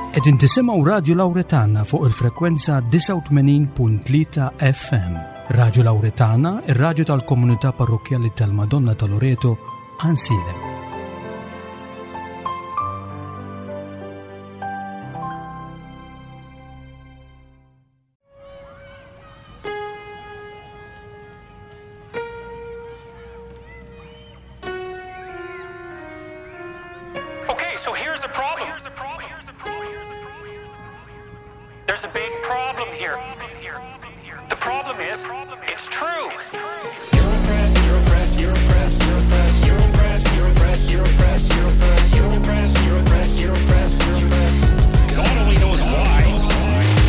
Qegħdin tisimgħu Radju Lawretana fuq il-frekwenza 89.3 FM. Radju Lawretana, ir-radju tal-komunità parrokkjali tal-Madonna ta' Loreto, Ansilem. Okay, so here's the problem. There's a big problem here. The problem is, it's true. You're oppressed, you're oppressed, you're oppressed, you're oppressed, you're oppressed, you're oppressed, you're oppressed, you're oppressed, you're oppressed, you're oppressed, you're oppressed, you're oppressed. God only knows why.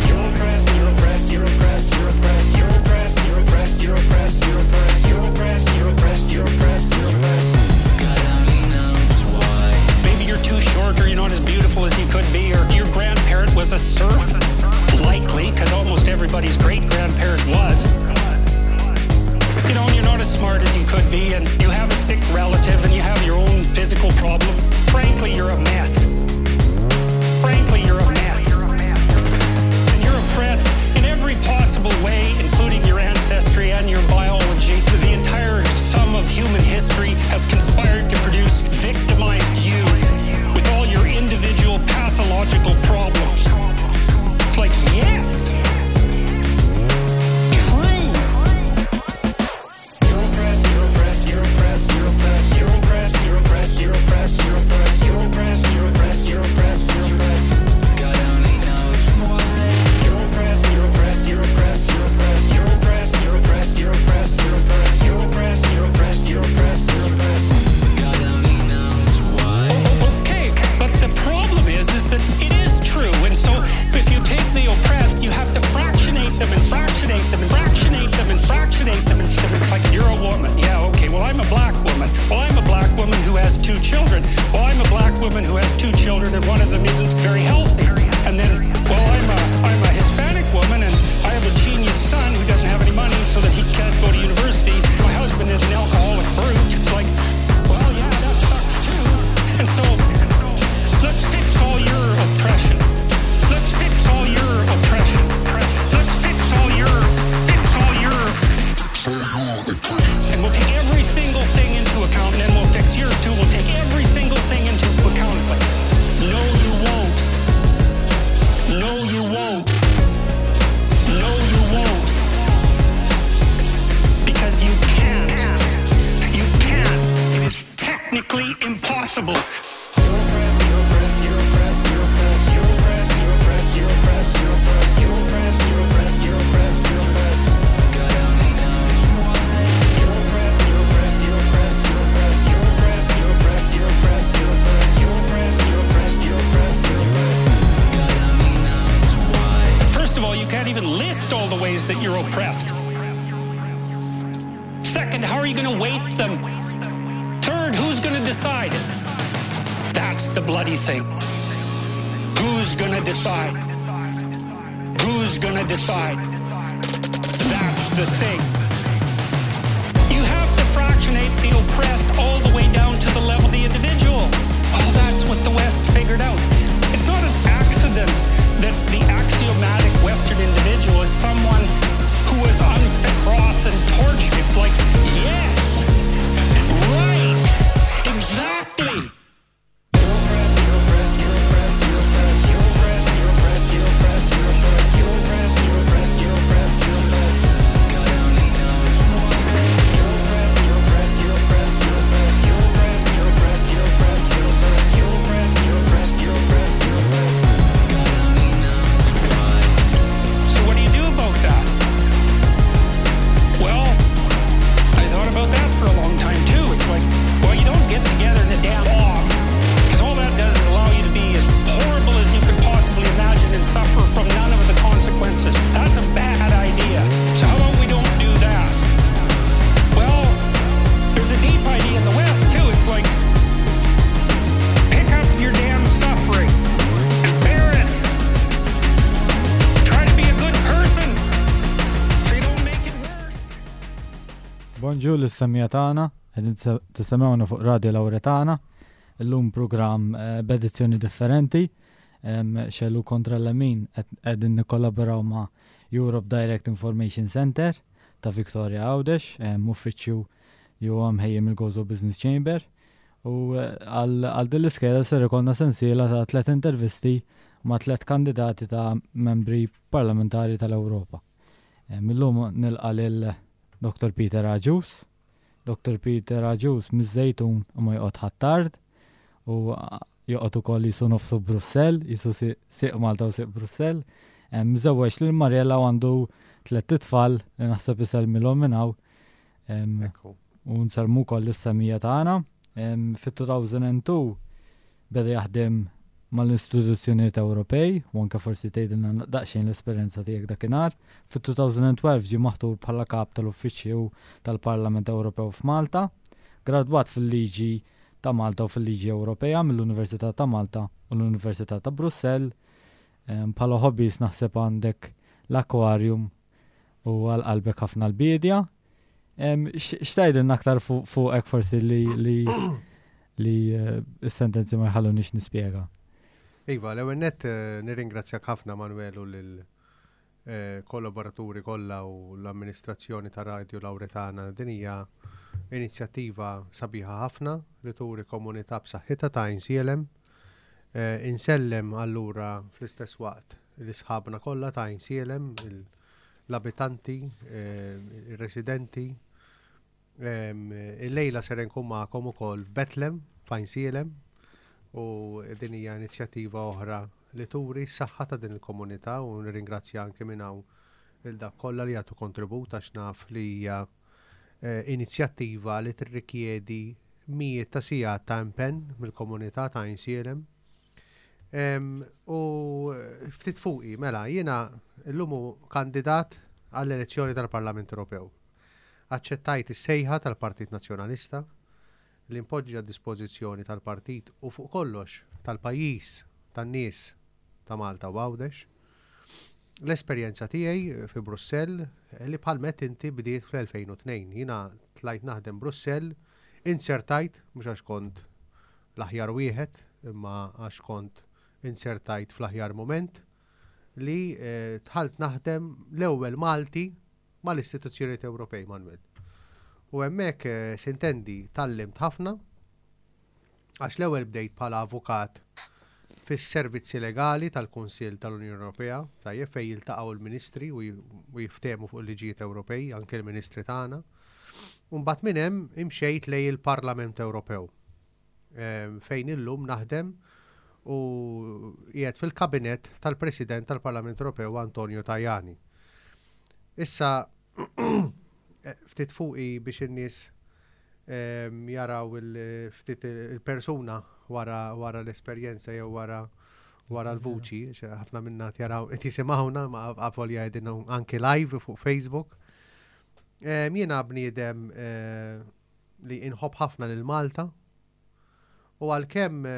You're oppressed, you're oppressed, you're oppressed, you're oppressed, you're oppressed, you're oppressed, you're oppressed, you're oppressed, you're oppressed, you're oppressed, you're oppressed, you're oppressed. God only knows why. Maybe you're too short or you're not as beautiful as you could be or your grandparent was a serf. Likely, because almost everybody's great-grandparent was. You know, and you're not as smart as you could be, and you have a sick relative, and you have your own physical problem. Frankly, you're a mess. Frankly, you're a mess. And you're oppressed in every possible way, including your ancestry and your biology. The entire sum of human history has conspired to produce victimized you with all your individual pathological problems. It's like, yes! True! You're oppressed, you're oppressed, you're oppressed, you're oppressed, you're oppressed, you're oppressed, you're oppressed, you're oppressed, you're oppressed, you're oppressed, you're oppressed, you're oppressed. God only knows why. You're oppressed, you're oppressed, you're oppressed, you're oppressed, you're oppressed, you're oppressed, you're oppressed, you're oppressed, you're oppressed, you're oppressed, you're oppressed, you're oppressed. God only knows why. Okay, but the problem is, is that it is true, and so if you take the oppressed, you have to fractionate them and fractionate them and fractionate them and fractionate them and it's like, you're a woman. Yeah, okay, well, I'm a black woman. Well, I'm a black woman who has 2 children. Well, I'm a black woman who has 2 children and one of them isn't very healthy. And then, well, I'm a Hispanic woman and I have a genius son who doesn't have any money so that he can't go to university. My husband is an alcoholic brute. It's like, well, yeah, that sucks too. And so, let's fix all your oppression. Let's fix all your oppression. Let's fix all your, fix all your, and we'll take every single thing into account, and then we'll fix yours too. We'll take every single thing into account. It's like, no, you won't. No, you won't. No, you won't. Because you can't. You can't. It is technically impossible. You're oppressed, you're oppressed, you're oppressed, you're oppressed, you're oppressed, you're oppressed, you're oppressed, you're oppressed, you're oppressed, you're oppressed, you're oppressed, you're oppressed. God only knows why. You're oppressed, you're oppressed, you're oppressed, you're oppressed, you're oppressed, you're oppressed, you're oppressed, you're oppressed, you're oppressed, you're oppressed, you're oppressed, you're oppressed. God only knows why. First of all, you can't even list all the ways that you're oppressed. Second, how are you going to weight them? Third, who's going to decide? That's the bloody thing. Who's going to decide? Who's going to decide? That's the thing. You have to fractionate the oppressed all the way down to the level of the individual. Oh, that's what the West figured out. It's not an accident that the axiomatic Western individual is someone who was unfit cross and tortured. It's like, yes, right, exactly. You're oppressed, you're oppressed, you're oppressed, you're oppressed, you're oppressed, you're oppressed, you're oppressed, you're oppressed, you're oppressed, you're oppressed, you're oppressed, you're oppressed. God only knows why. You're oppressed, you're oppressed, you're oppressed, you're oppressed, you're oppressed, you're oppressed, you're oppressed, you're oppressed, you're oppressed, you're oppressed, you're oppressed, you're oppressed. God only knows why. So what do you do about that? Well, I thought about that for a long time too. It's like, well, you don't get together in a damn mob, because all that does is allow you to be as horrible as you could possibly imagine and suffer from none of the consequences. That's a bad idea. So how about we don't do that? Well, there's a deep idea in the West too. It's like, pick up your damn suffering and bear it. Try to be a good person so you don't make it worse. Bonġu l-semija tagħna, qegħdin tisimgħuna fuq Radio Lauretana. Illum programm b'edizzjoni differenti. Xellu kontra l-lemin qegħdin nikkollaboraw ma' Europe Direct Information Center ta' Victoria Għawdex, uffiċċju li huwa mħejji mill-Gozo Business Chamber. U eh, għal din l-iskeda ser ikollna sensiela ta' tlet intervisti ma' tlet kandidati ta' membri parlamentari tal-Ewropa. Millum nilqa' lil Dr. Peter Agius. Dr. Peter Agius miż-Żejtun u ma joqgħod Ħ'Attard u joqgħod ukoll jisu nofsu Brussell, jisu siq Malta u siq Brussell. Miżewweġ lil Mariella u għandu tlett itfal li naħseb isellmilhom minn hawn. U nsellmu wkoll lis-semija tagħna. Fit-2002 beda jaħdem mal-istituzzjonijiet Ewropej u anke forsi tgħidilna daqsxejn l-esperjenza tiegħek dakinhar. Fit-2012 ġie maħtur bħala kap tal-Uffiċċju tal-Parlament Ewropew f'Malta. Gradwat fil-liġi ta' Malta u fil-liġi Ewropea mill-Università ta' Malta u l-Università ta' Brussell. Bħala hobbies naħseb għandek l-aquarium u għal qalbek ħafna l-biedja. X'tgħidilna aktar fuqek forsi li li li eh, s-sentenzi ma jħallunix nispjega? Iva, l-ewwel nett eh, nirringrazzjak ħafna Manuel u lil eh, kollaboraturi kollha u l-amministrazzjoni ta' Radio Lauretana. Din hija inizjattiva sabiħa ħafna li turi komunità b'saħħitha ta' Għajnsielem. Insellem allura fl-istess waqt l-isħabna kollha ta' Għajnsielem, l-abitanti, ir-residenti. Illejla ser nkun magħkom ukoll f'Betlem, f'Għajnsielem, u din hija inizjattiva oħra li turi s-saħħa ta' din il-komunità u nirringrazzja anke minn hawn lil dak kollha li jagħtu kontribut għax naf li hija eh, inizjattiva li tirrikjedi mijiet ta' sigħat ta' impenn mill-komunità ta' Għajnsielem. U ftit fuqi, mela, jiena llum kandidat għall-elezzjoni tal-Parlament Ewropew. Aċċettajt is-sejħa tal-Partit Nazzjonalista li npoġġi għad-dispożizzjoni tal-partit u fuq kollox tal-pajjiż, tan-nies ta' Malta u Għawdex, l-esperjenza tiegħi fi Brussell li bħal m'għedt inti bdiet fl-2002. Jiena tlajt naħdem Brussell, inzertajt, mhux għax kont l-aħjar wieħed imma għax kont inzertajt fl-aħjar mument li dħalt naħdem l-ewwel Malti mal-istituzzjonijiet Ewropej, Manuel. U hemmhekk sintendi tgħallimt ħafna għax l-ewwel bdejt bħala avukat fis-servizzi legali tal-Kunsill tal-Unjoni Ewropea, tajjeb fejn jiltaqgħu l-ministri u jiftehmu fuq il-liġijiet Ewropej, anke l-ministri tagħna. U mbagħad minn hemm imxejt lejn il-Parlament Ewropew. Fejn illum naħdem u qiegħed fil-kabinett tal-President tal-Parlament Ewropew Antonio Tajani. Issa ftit fuqi biex in-nies jaraw ftit il-persuna wara wara l-esperjenza jew wara wara l-vuċi, ħafna minna jaraw qed jisimgħuna ma avolja qegħdin anki live fuq Facebook. Jiena bniedem eh, li inħobb ħafna lil Malta u għalkemm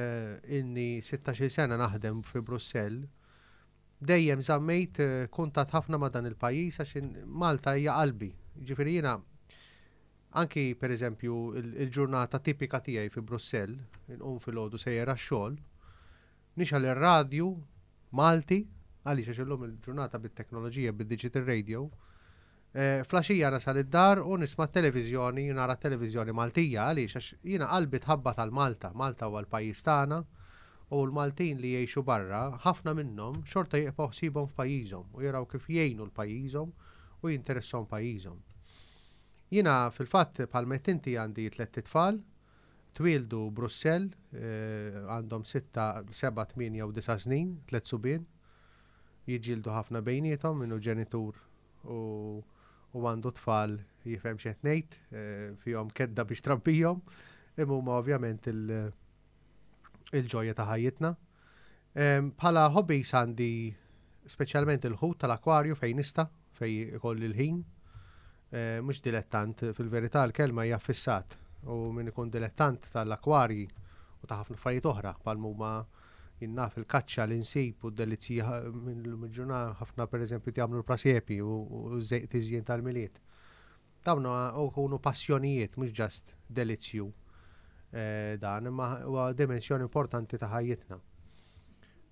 ilni sittax-il sena naħdem fi Brussell, dejjem żammejt kuntatt ħafna ma' dan il-pajjiż għax Malta hija qalbi. Jiġifieri jiena anki pereżempju il-ġurnata tipika tiegħi fi Brussell, inqum filgħodu sejjer għax-xogħol, nixgħel ir-radju Malti, għaliex għax illum il-ġurnata bit-teknoloġija, bid-digital radio, Fl-għaxija nasal id-dar u nisma' t-televiżjoni, nara t-televiżjoni Maltija. Għaliex? Għax jiena qalbi tħabbat għal Malta. Malta huwa l-pajjiż tagħna u l-Maltin li jgħixu barra, ħafna minnhom xorta jibqgħu ħsiebhom f'pajjiżhom u jaraw kif jgħinu 'l pajjiżhom u jinteressahom pajjiżhom. Jiena fil-fatt bħalma għedt inti għandi tlett itfal, twieldu Brussell, għandhom sitta, seba', tmienja u disa' snin, tliet subien. Jiġġieldu ħafna bejniethom, min hu ġenitur u u għandu tfal jifhem x'qed ngħid, eh, fihom kedda biex trabbihom, imma huma ovvjament il-ġoja ta' ħajjitna. Bħala hobbies għandi speċjalment il-ħut tal-akwarju fejn nista' fejn ikolli l-ħin. Eh, mhux dilettant, fil-verità l-kelma hija fissat u min ikun dilettant tal-akwarji u ta' ħafna affarijiet oħra bħal huma jien naf il-kaċċa l-insib u d-delizzji mill-ġurnata ħafna pereżempju jagħmlu l-prasepi u tiżjien tal-Milied. Dawn ikunu passjonijiet mhux ġast delizzju eh, dan, imma huwa dimensjoni importanti ta' ħajjitna.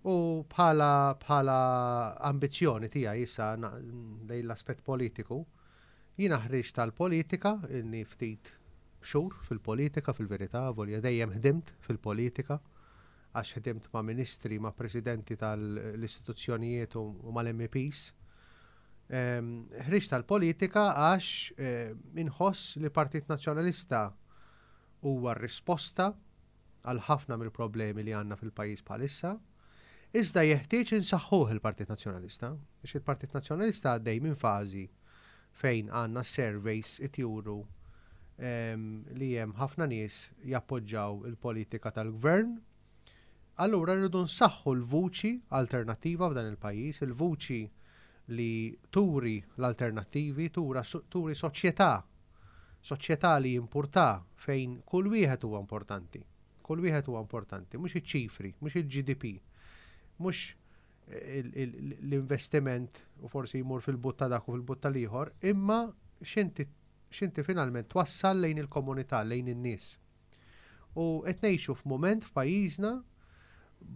U bħala bħala ambizzjoni tiegħi issa lejn l-aspett politiku, jiena ħriġt tal-politika inni ftit xhur fil-politika fil-verità, volja dejjem ħdimt fil-politika għax ħdimt ma' ministri, ma' presidenti tal-istituzzjonijiet u mal-MEPs. Ħriġt tal-politika għax inħoss li Partit Nazzjonalista huwa r-risposta għal ħafna mill-problemi li għandna fil-pajjiż bħalissa, iżda jeħtieġ insaħħuh il-Partit Nazzjonalista, għax il-Partit Nazzjonalista għaddej minn fażi fejn għandna surveys qed juru li hemm ħafna nies jappoġġaw il-politika tal-gvern. Allura rridu nsaħħu l-vuċi alternattiva f'dan il-pajjiż, il-vuċi li turi l-alternattivi, turi soċjetà Soċjetà li jimpurtha fejn kull wieħed huwa importanti. Kull wieħed huwa importanti, mhux iċ-ċifri, mhux il-GDP, mhux l-investiment u forsi jmur fil-but ta' dak u fil-but tal-ieħor, imma x'inti x'inti finalment twassal lejn il-komunità, lejn in-nies. U qed ngħixu f'mument f'pajjiżna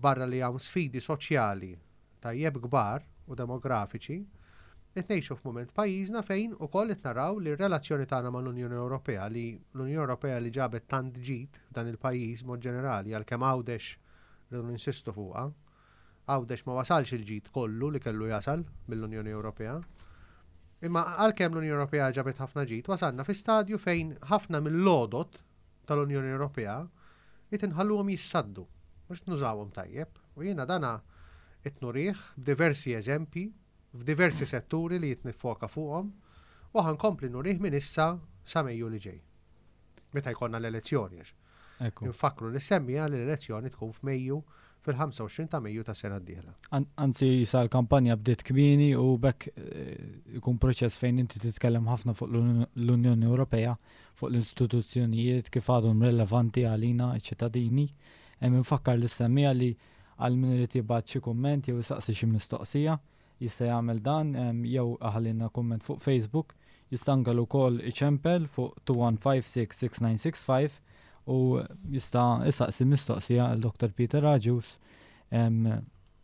barra li hawn sfidi soċjali tajjeb kbar u demografiċi, qed ngħixu f'mument f'pajjiżna fejn ukoll qed naraw li r-relazzjoni tagħna mal-Unjoni Ewropea, li l-Unjoni Ewropea li ġabet tant ġid f'dan il-pajjiż mod ġenerali għalkemm Għawdex rridu ninsistu fuqha, Għawdex ma wasalx il-ġid kollu li kellu jasal mill-Unjoni Ewropea. Imma għalkemm l-Unjoni Ewropea ġabet ħafna ġid, wasalna fi stadju fejn ħafna mill-għodod tal-Unjoni Ewropea qed inħalluhom jissaddu, mhux nużawhom tajjeb. U jiena dana qed nurih b'diversi eżempji f'diversi setturi li qed niffoka fuqhom u ħa nkompli nurih minn issa sa Mejju li ġej. Meta jkollna l-elezzjoni għax. Infakkru li semmija li l-elezzjoni tkun f'Mejju fil-25 ta' Mejju tas-sena d-dieħla. Anzi sa l-kampanja bdiet kmieni u b'hekk ikun proċess fejn inti titkellem ħafna fuq l-Unjoni Ewropea, fuq l-istituzzjonijiet kif għadhom relevanti għalina ċ-ċittadini. Hemm infakkar lis-semmiegħa li għal min irid jibgħat xi kumment jew isaqsi xi mistoqsija, jista' jagħmel dan jew iħallilna kumment fuq Facebook, jista' anke ukoll iċempel fuq 21566965 u jista' isaqsi mistoqsija għal Dr. Peter Agius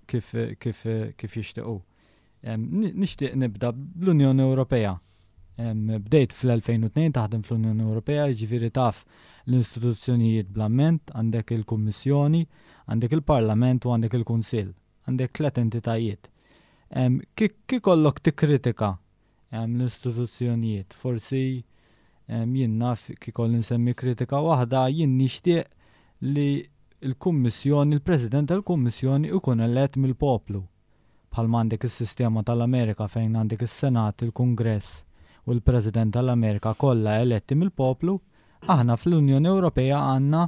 kif kif kif jixtiequ. Nixtieq nibda bl-Unjoni Ewropea. Bdejt fl-2002 taħdem fl-Unjoni Ewropea, jiġifieri taf l-istituzzjonijiet bl-amment, għandek il-Kummissjoni, għandek il-Parlament u għandek il-Kunsill. Għandek tlet entitajiet. Kif ikollok tikkritika l-istituzzjonijiet, forsi jien naf kif ikolli nsemmi kritika waħda, jien nixtieq li l-Kummissjoni, il-President tal-Kummissjoni ikun elett mill-poplu. Bħalma għandek is-sistema tal-Amerika fejn għandek is-Senat, il-Kungress u l-President tal-Amerika kollha eletti mill-poplu, aħna fl-Unjoni Ewropea għandna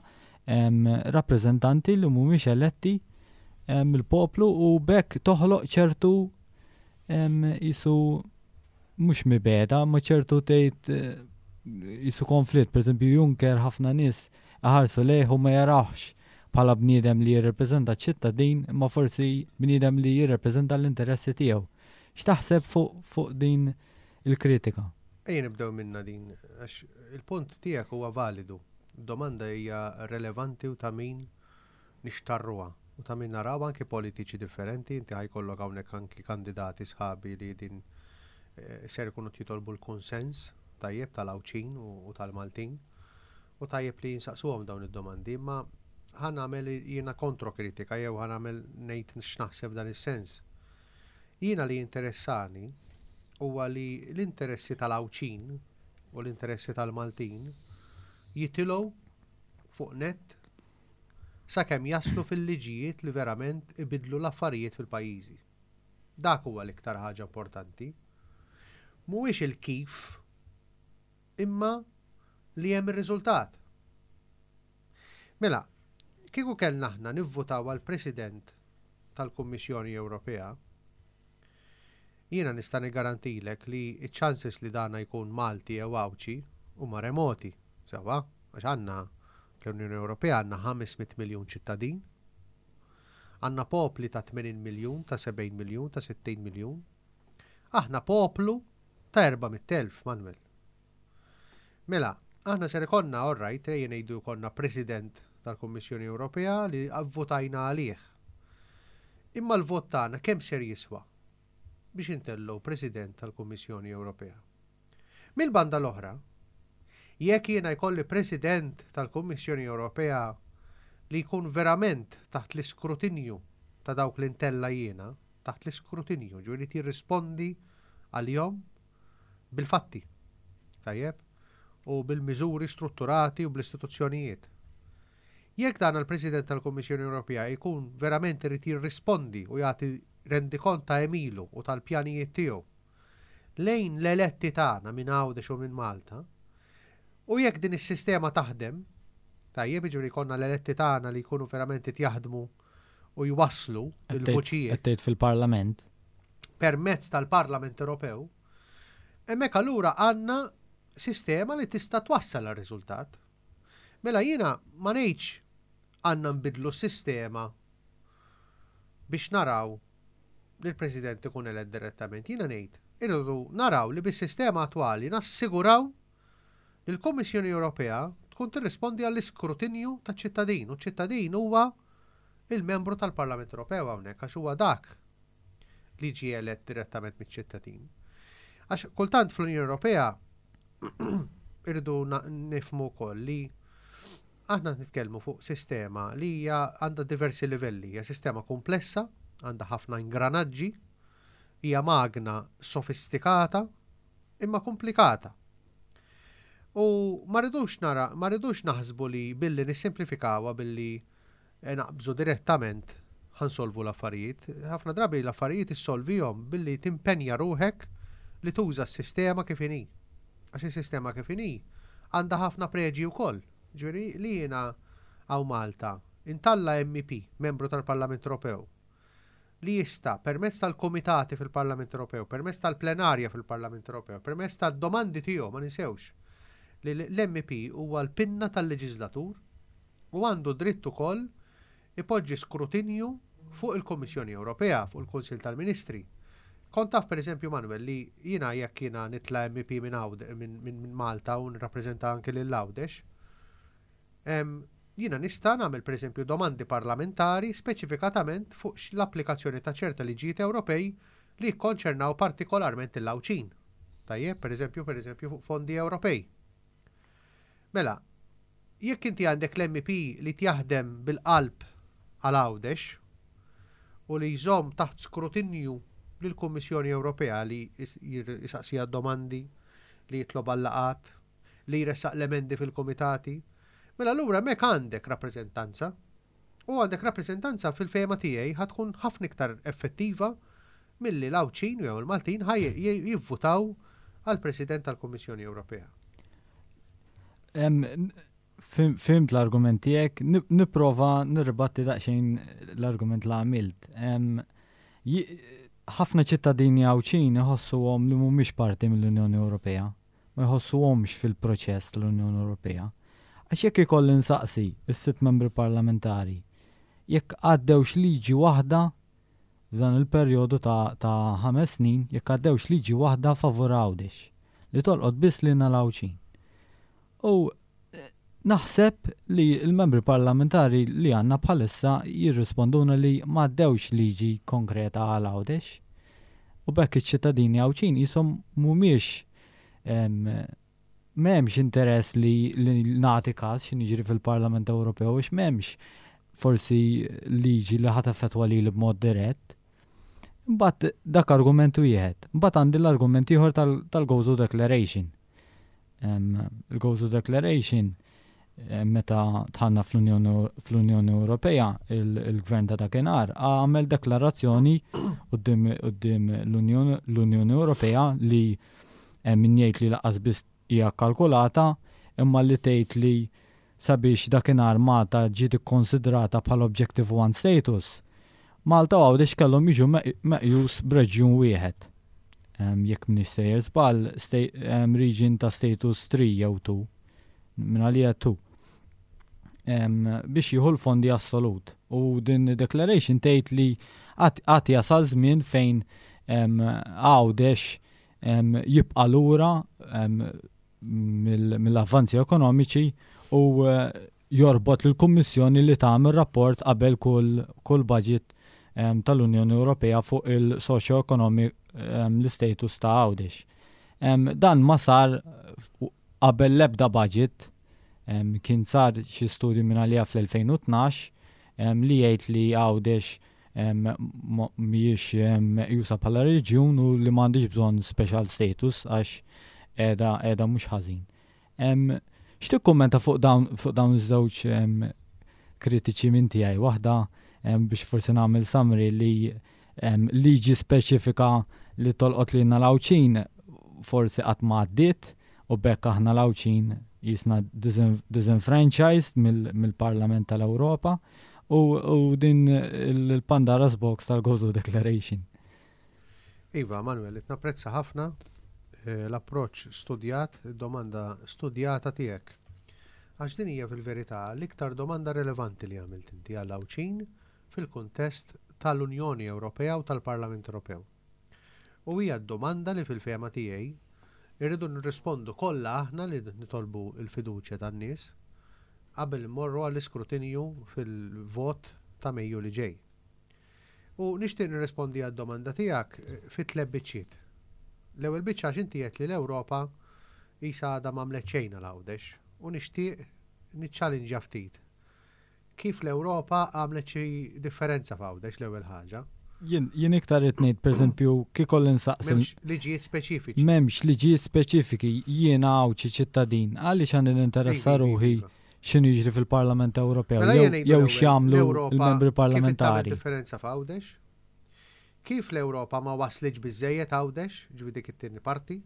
rappreżentanti li mhumiex eletti mill-poplu u b'hekk toħloq ċertu jisu mhux mibeda, ma ċertu tgħid jisu konflitt, pereżempju Juncker ħafna nies iħarsu lejh u ma jarawhx bħala bniedem li jirrepreżenta ċ-ċittadin imma forsi bniedem li jirrepreżenta l-interessi tiegħu. X'taħseb fuq fuq din il-kritika? Ejja nibdew minnha din għax il-punt tiegħek huwa validu. Domanda hija relevanti u ta' min nixtarruha u ta' min naraw anki politiċi differenti, inti ħa jkollok hawnhekk anki kandidati sħabi li din ser ikunu qed jitolbu l-kunsens tajjeb tal-Għawdxin u tal-Maltin u tajjeb li jinsaqsuhom dawn id-domandi imma ħa nagħmel jiena kontrokritika jew ħa nagħmel ngħid x'naħseb f'dan is-sens. Jiena li jinteressani huwa li l-interessi tal-Għawdxin u l-interessi tal-Maltin jitilgħu fuq nett sakemm jaslu fil-liġijiet li verament ibiddlu l-affarijiet fil-pajjiżi. Dak huwa l-iktar ħaġa importanti. Mhuwiex il-kif imma li hemm ir-riżultat. Mela, kieku kellna aħna nivvutaw għal President tal-Kummissjoni Ewropea, jiena nista' niggarantilek li ċ-chances li dana jkun Malti jew Għawdxi huma remoti, sewwa, għax għandna fl-Unjoni Ewropea għandna 500 miljun ċittadin, għandna popli ta' 80 miljun, ta' 70 miljun, ta' 60 miljun. Aħna poplu ta' 400,000, Manuel. Mela, aħna ser ikollna, all right, ejja ngħidu jkollna President tal-Kummissjoni Ewropea li vvutajna għalih. Imma l-vot tagħna kemm ser jiswa biex intellgħu President tal-Kummissjoni Ewropea? Mill-banda l-oħra, jekk jiena jkolli President tal-Kummissjoni Ewropea li jkun verament taħt l-iskrutinju ta' dawk li ntella' jiena, taħt l-iskrutinju, ġifieri jirrispondi għalihom bil-fatti, tajjeb, u bil-miżuri strutturati u bl-istituzzjonijiet. Jekk dan il-President tal-Kummissjoni Ewropea jkun verament irid jirrispondi u jagħti rendikont ta' għemilu u tal-pjanijiet tiegħu lejn l-eletti tagħna minn Għawdex u minn Malta, u jekk din is-sistema taħdem, tajjeb, jiġifieri jkollna l-eletti tagħna li jkunu verament qed jaħdmu u jwasslu l-vuċijiet. Qed tgħid fil-Parlament. Permezz tal-Parlament Ewropew, hemmhekk allura għandna sistema li tista' twassal għar-riżultat. Mela jiena ma ngħidx għandna nbiddlu s-sistema biex naraw li l-President ikun elett direttament. Jiena ngħid irridu naraw li bis-sistema attwali nassiguraw li l-Kummissjoni Ewropea tkun tirrispondi għall-iskrutinju taċ-ċittadin u ċ-ċittadin huwa il-membru tal-Parlament Ewropew hawnhekk għax huwa dak li ġie elett direttament miċ-ċittadin. Għax kultant fl-Unjoni Ewropea irridu nifhmu wkoll li aħna nitkellmu fuq sistema li hija għandha diversi livelli, hija sistema komplessa, għandha ħafna ingranaġġi, hija magna sofistikata imma komplikata. U ma rridux nara, ma rridux naħsbu li billi nissimplifikawha billi naqbżu direttament ħa nsolvu l-affarijiet. Ħafna drabi l-affarijiet issolvihom billi timpenja ruħek li tuża s-sistema kif inhi. Għax is-sistema kif inhi għandha ħafna preġi wkoll. Ġifieri li jiena hawn Malta intalla MEP, membru tal-Parlament Ewropew, li jista' permezz tal-kumitati fil-Parlament Ewropew, permezz tal-plenarja fil-Parlament Ewropew, permezz tad-domandi tiegħu, ma ninsewx li l-MEP huwa l-pinna tal-leġiżlatur u għandu dritt ukoll ipoġġi skrutinju fuq il-Kummissjoni Ewropea, fuq il-Kunsill tal-Ministri. Kont taf pereżempju Manuel li jiena jekk jiena nitla' MEP minn minn Malta u nirrappreżenta anke lil Għawdex, jiena nista' nagħmel pereżempju domandi parlamentari speċifikatament fuq l-applikazzjoni ta' ċerta liġijiet Ewropej li jikkonċernaw partikolarment lill-Għawdxin. Tajjeb, pereżempju, pereżempju fuq fondi Ewropej. Mela, jekk inti għandek l-MEP li jaħdem bil-qalb għal Għawdex u li jżomm taħt skrutinju lill-Kummissjoni Ewropea li jisaqsiha domandi, li jitlob għal-laqgħat, li jressaq l-emendi fil-kumitati, mela allura hemmhekk għandek rappreżentanza. U għandek rappreżentanza fil-fehma tiegħi ħa tkun ħafna iktar effettiva milli l-Għawdxin jew il-Maltin ħa jivvutaw għall-President tal-Kummissjoni Ewropea. Fhimt l-argument tiegħek, nipprova nirribatti daqsxejn l-argument li għamilt. Ħafna ċittadini Għawdxin iħossuhom li mhumiex parti mill-Unjoni Ewropea. ma jħossuhomx fil-proċess tal-Unjoni Ewropea. Għax jekk ikolli nsaqsi s-sitt membri parlamentari jekk għaddewx liġi waħda f'dan il-perjodu ta' ta' ħames snin, jekk għaddewx liġi waħda favur Għawdex, li tolqot biss lilna l-Għawdxin. U naħseb li l-membri parlamentari li għandna bħalissa jirrisponduna li m'għaddewx liġi konkreta għal Għawdex. U b'hekk iċ-ċittadini Għawdxin qishom mhumiex m'hemmx interess li, li nagħti każ x'inhu jiġri fil-Parlament Ewropew għax m'hemmx forsi liġi li ħa taffettwa lili b'mod dirett. Imbagħad dak argument wieħed. Imbagħad għandi l-argument ieħor tal-Gozo Declaration. Il-Gozo Declaration meta dħalna fl-Unjoni Ewropea, il-gvern ta' dakinhar għamel deklarazzjoni quddiem l-Unjoni Ewropea li min jgħid li lanqas biss hija kkalkulata, imma li tgħid li sabiex dakinhar Malta ġiet ikkonsidrata bħala Objective One Status, Malta u Għawdex kellhom jiġu meqjus b'reġjun wieħed. Jekk m'iniex sejjer żball, region ta' status 3 jew 2, minn għalija 2, biex jieħu l-fondi assolut. U din declaration tgħid li għad jasal żmien fejn Għawdex jibqa' lura mill-avvanzi ekonomiċi u jorbot lill-Kummissjoni li tagħmel rapport qabel kull budget tal-Unjoni Ewropea fuq il-socio-economic l-istatus ta' Għawdex. Dan ma sar qabel l-ebda budget, kien sar xi studju minn għalija fl-2012 li jgħid li Għawdex mhijiex meqjusa bħala reġjun u li m'għandhiex bżonn special status għax qiegħda qiegħda mhux ħażin. X'tikkummenta fuq dawn fuq dawn iż-żewġ kritiċi minn tiegħi? Waħda biex forsi nagħmel summary li liġi speċifika li tolqot lilna l-Għawdxin forsi qatt ma għaddiet u b'hekk aħna l-Għawdxin jisna disenfranchised mill-Parlament tal-Ewropa u din il-Pandora's Box tal-Gozo Declaration. Iva, Manuel, qed napprezza ħafna eh, l-approċċ studjat, id-domanda studjata tiegħek. Għax din hija fil-verità l-iktar domanda relevanti li għamilt inti għal Għawdxin fil-kuntest tal-Unjoni Ewropea u tal-Parlament Ewropew. U hija d-domanda li fil-fehma tiegħi irridu nirrispondu kollha aħna li nitolbu l-fiduċja tan-nies qabel immorru għall-iskrutinju fil-vot ta' Mejju li ġej. U nixtieq nirrispondi għad-domanda tiegħek fi tleb biċċiet. L-ewwel biċċa għax inti għedt li l-Ewropa qisha għadha m'għamlet xejn għal Għawdex u nixtieq niċċalinġja ftit kif l-Ewropa għamlet xi differenza f'Għawdex l-ewwel ħaġa. Jien jien iktar irid ngħid pereżempju kieku li nsaqsi. M'hemmx liġijiet speċifiċi. M'hemmx liġijiet speċifiki jiena Għawdxi ċittadin għaliex għandi ninteressa ruħi x'inhu jiġri fil-Parlament Ewropew Mela jew jew x'jagħmlu l-membri parlamentari. Kif differenza f'Għawdex? Kif l-Ewropa ma waslitx biżejjed Għawdex, ġifieri dik it-tieni parti.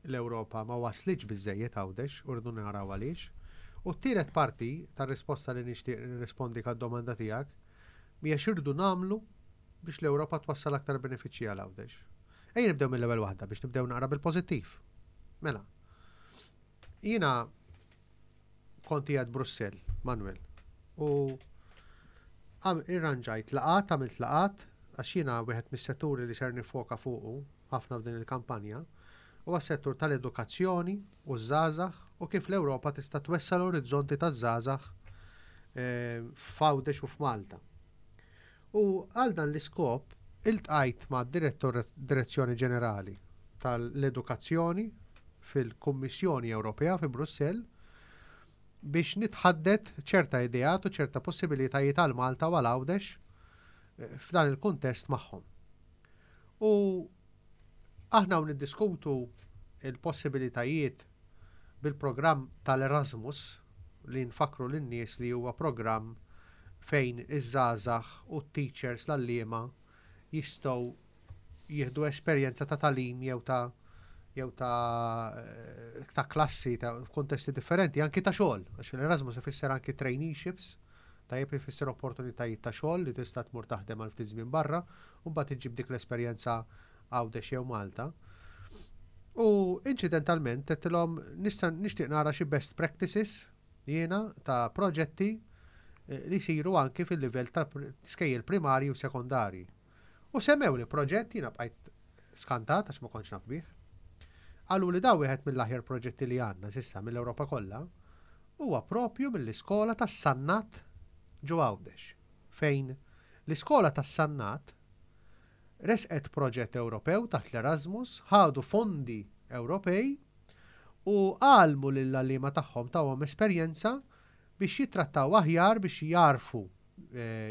L-Ewropa ma waslitx biżejjed Għawdex u rridu naraw għaliex. U t-tielet parti tar-risposta li nixtieq nirrispondik għad-domanda tiegħek hija x'irridu nagħmlu biex l-Ewropa twassal aktar benefiċċji għal Għawdex. Ejja nibdew mill-ewwel waħda biex nibdew naqra bil-pożittiv. Mela, jiena kont qiegħed Brussell, Manuel, u irranġajt laqgħat, għamilt laqgħat, għax jiena wieħed mis-setturi li ser nifoka fuqu ħafna f'din il-kampanja huwa s-settur tal-edukazzjoni u ż-żgħażagħ u kif l-Ewropa tista' twessa' l-orizzonti taż-żgħażagħ eh, f'Għawdex u f'Malta. U għal dan l-iskop iltqajt ma' direttur Direzzjoni Ġenerali tal-Edukazzjoni fil-Kummissjoni Ewropea fi Brussell biex nitħaddet ċerta ideat u ċerta possibilitajiet għal Malta u għal Għawdex eh, f'dan il-kuntest magħhom. U aħna u niddiskutu il-possibilitajiet bil-programm tal-Erasmus li nfakkru lin-nies li huwa programm fejn iż-żgħażagħ u t-teachers l-għalliema jistgħu jieħdu esperjenza ta' tagħlim jew ta' jew ta' ta' klassi ta' f'kuntesti differenti, anki ta' xogħol, għax l-Erasmus ifisser anki traineeships, tajjeb ifisser opportunitajiet ta' xogħol li tista' tmur taħdem għal ftit żmien barra u mbagħad iġġib dik l-esperjenza Għawdex jew Malta. U inċidentalment għedtilhom nista' nixtieq nara xi best practices jiena ta' proġetti eh, li jsiru anki fil-livell ta' skejjel primarji u sekondarji. U semmewli proġett jiena bqajt skantat għax ma kontx naf bih. Qalu li daw wieħed mill-aħjar proġetti li għandna s'issa mill-Ewropa kollha huwa propju mill-iskola tas-Sannat ġo Għawdex, fejn l-iskola tas-Sannat resqet proġett Ewropew taħt l-Erasmus, ħadu fondi Ewropej u għallmu lill-għalliema tagħhom tawhom esperjenza biex jittrattaw aħjar biex jagħrfu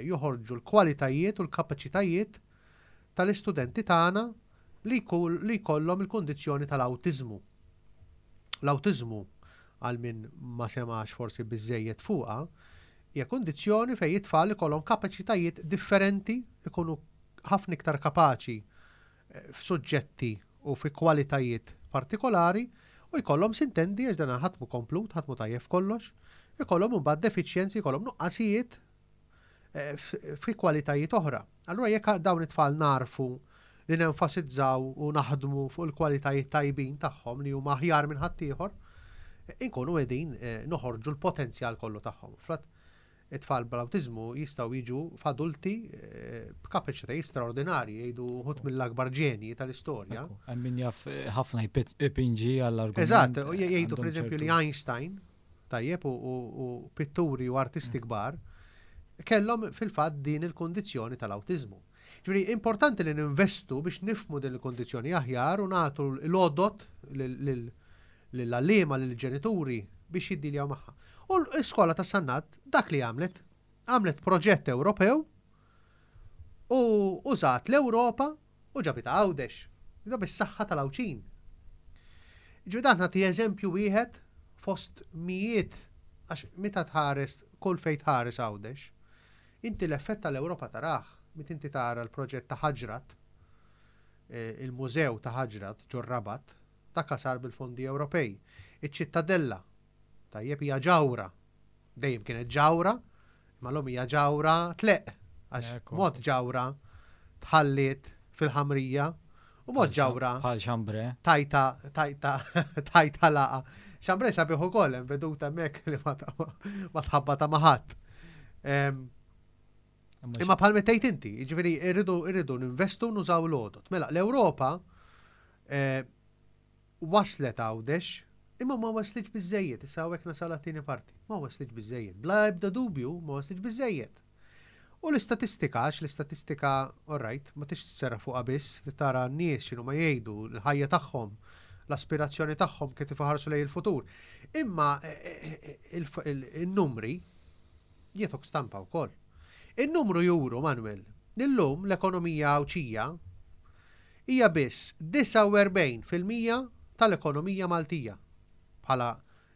joħorġu l-kwalitajiet u l-kapaċitajiet tal-istudenti tagħna li jkollhom il-kundizzjoni tal-awtiżmu. L-awtiżmu, għal min ma semax forsi biżżejjed fuqha, hija kundizzjoni fejn it-tfal ikollhom kapaċitajiet differenti, ikunu ħafna iktar kapaċi f'suġġetti u fi kwalitajiet partikolari u jkollhom sintendi għax dan ħadd mhu komplut, ħadd mhu tajjeb f'kollox, ikollhom imbagħad defiċjenzi, jkollhom nuqqasijiet eh, fi kwalitajiet oħra. Allura jekk dawn it-tfal narfu li nenfasizzaw u naħdmu fuq il-kwalitajiet tajbin tagħhom li huma aħjar minn ħaddieħor, inkunu qegħdin eh, noħorġu l-potenzjal kollu tagħhom. Frat It-tfal bl-awtiżmu jistgħu jiġu f'adulti b'kapaċitajiet straordinarji, jgħidu wħud mill-akbar ġenji tal-istorja. Hemm min jaf ħafna jpinġi għall-argument. Eżatt, jgħidu pereżempju li Einstein, tajjeb, u pitturi u artisti kbar, kellhom fil-fatt din il-kundizzjoni tal-awtiżmu. Ġifieri importanti li ninvestu biex nifhmu din il-kundizzjoni aħjar u nagħtu l-għodod lill-għalliema, lill-ġenituri biex jiddiljaw magħha. U l-iskola ta' Sannat dak li għamlet, għamlet proġett Ewropew u użat l-Ewropa u ġabitha Għawdex. Da bis-saħħa tal-Għawdxin. Ġifieri dan nagħti eżempju wieħed fost mijiet għax meta tħares kull fejn tħares Għawdex, inti l-effett tal-Ewropa tarah, meta inti tara l-proġett ta' Ħaġrat, eh, il-mużew ta' Ħaġrat ġor-Rabat, dak sar bil-fondi Ewropej. Iċ-Ċittadella, tajjeb hija ġawra Dejjem kienet ġawra, imma llum hija ġawra tleqq għax mod ġawra tħalliet fil-ħamrija u mod ġawra. Bħal xambre. Tajta, tajta, tajta laqa. Xambre sabiħ ukoll hemm veduta hemmhekk li ma tħabba ta' maħadd. Imma bħal tgħid inti, jiġifieri irridu irridu ninvestu nużaw l-għodot. Mela l-Ewropa eh, Waslet Għawdex, imma ma waslitx biżżejjed, issa hawnhekk nasal għat-tieni parti. Ma waslitx biżżejjed. Bla ebda dubju ma waslitx biżżejjed. U l-istatistika, għax l-istatistika, all right, ma tix tserraħ fuqha biss, trid tara n-nies x'inhuma jgħidu, l-ħajja tagħhom, l-aspirazzjoni tagħhom kif iħarsu lejn il-futur. Imma il-numri jagħtuk stampa wkoll. In-numru juru, Manuel, li llum l-ekonomija Għawdxija hija biss 49% tal-ekonomija Maltija bħala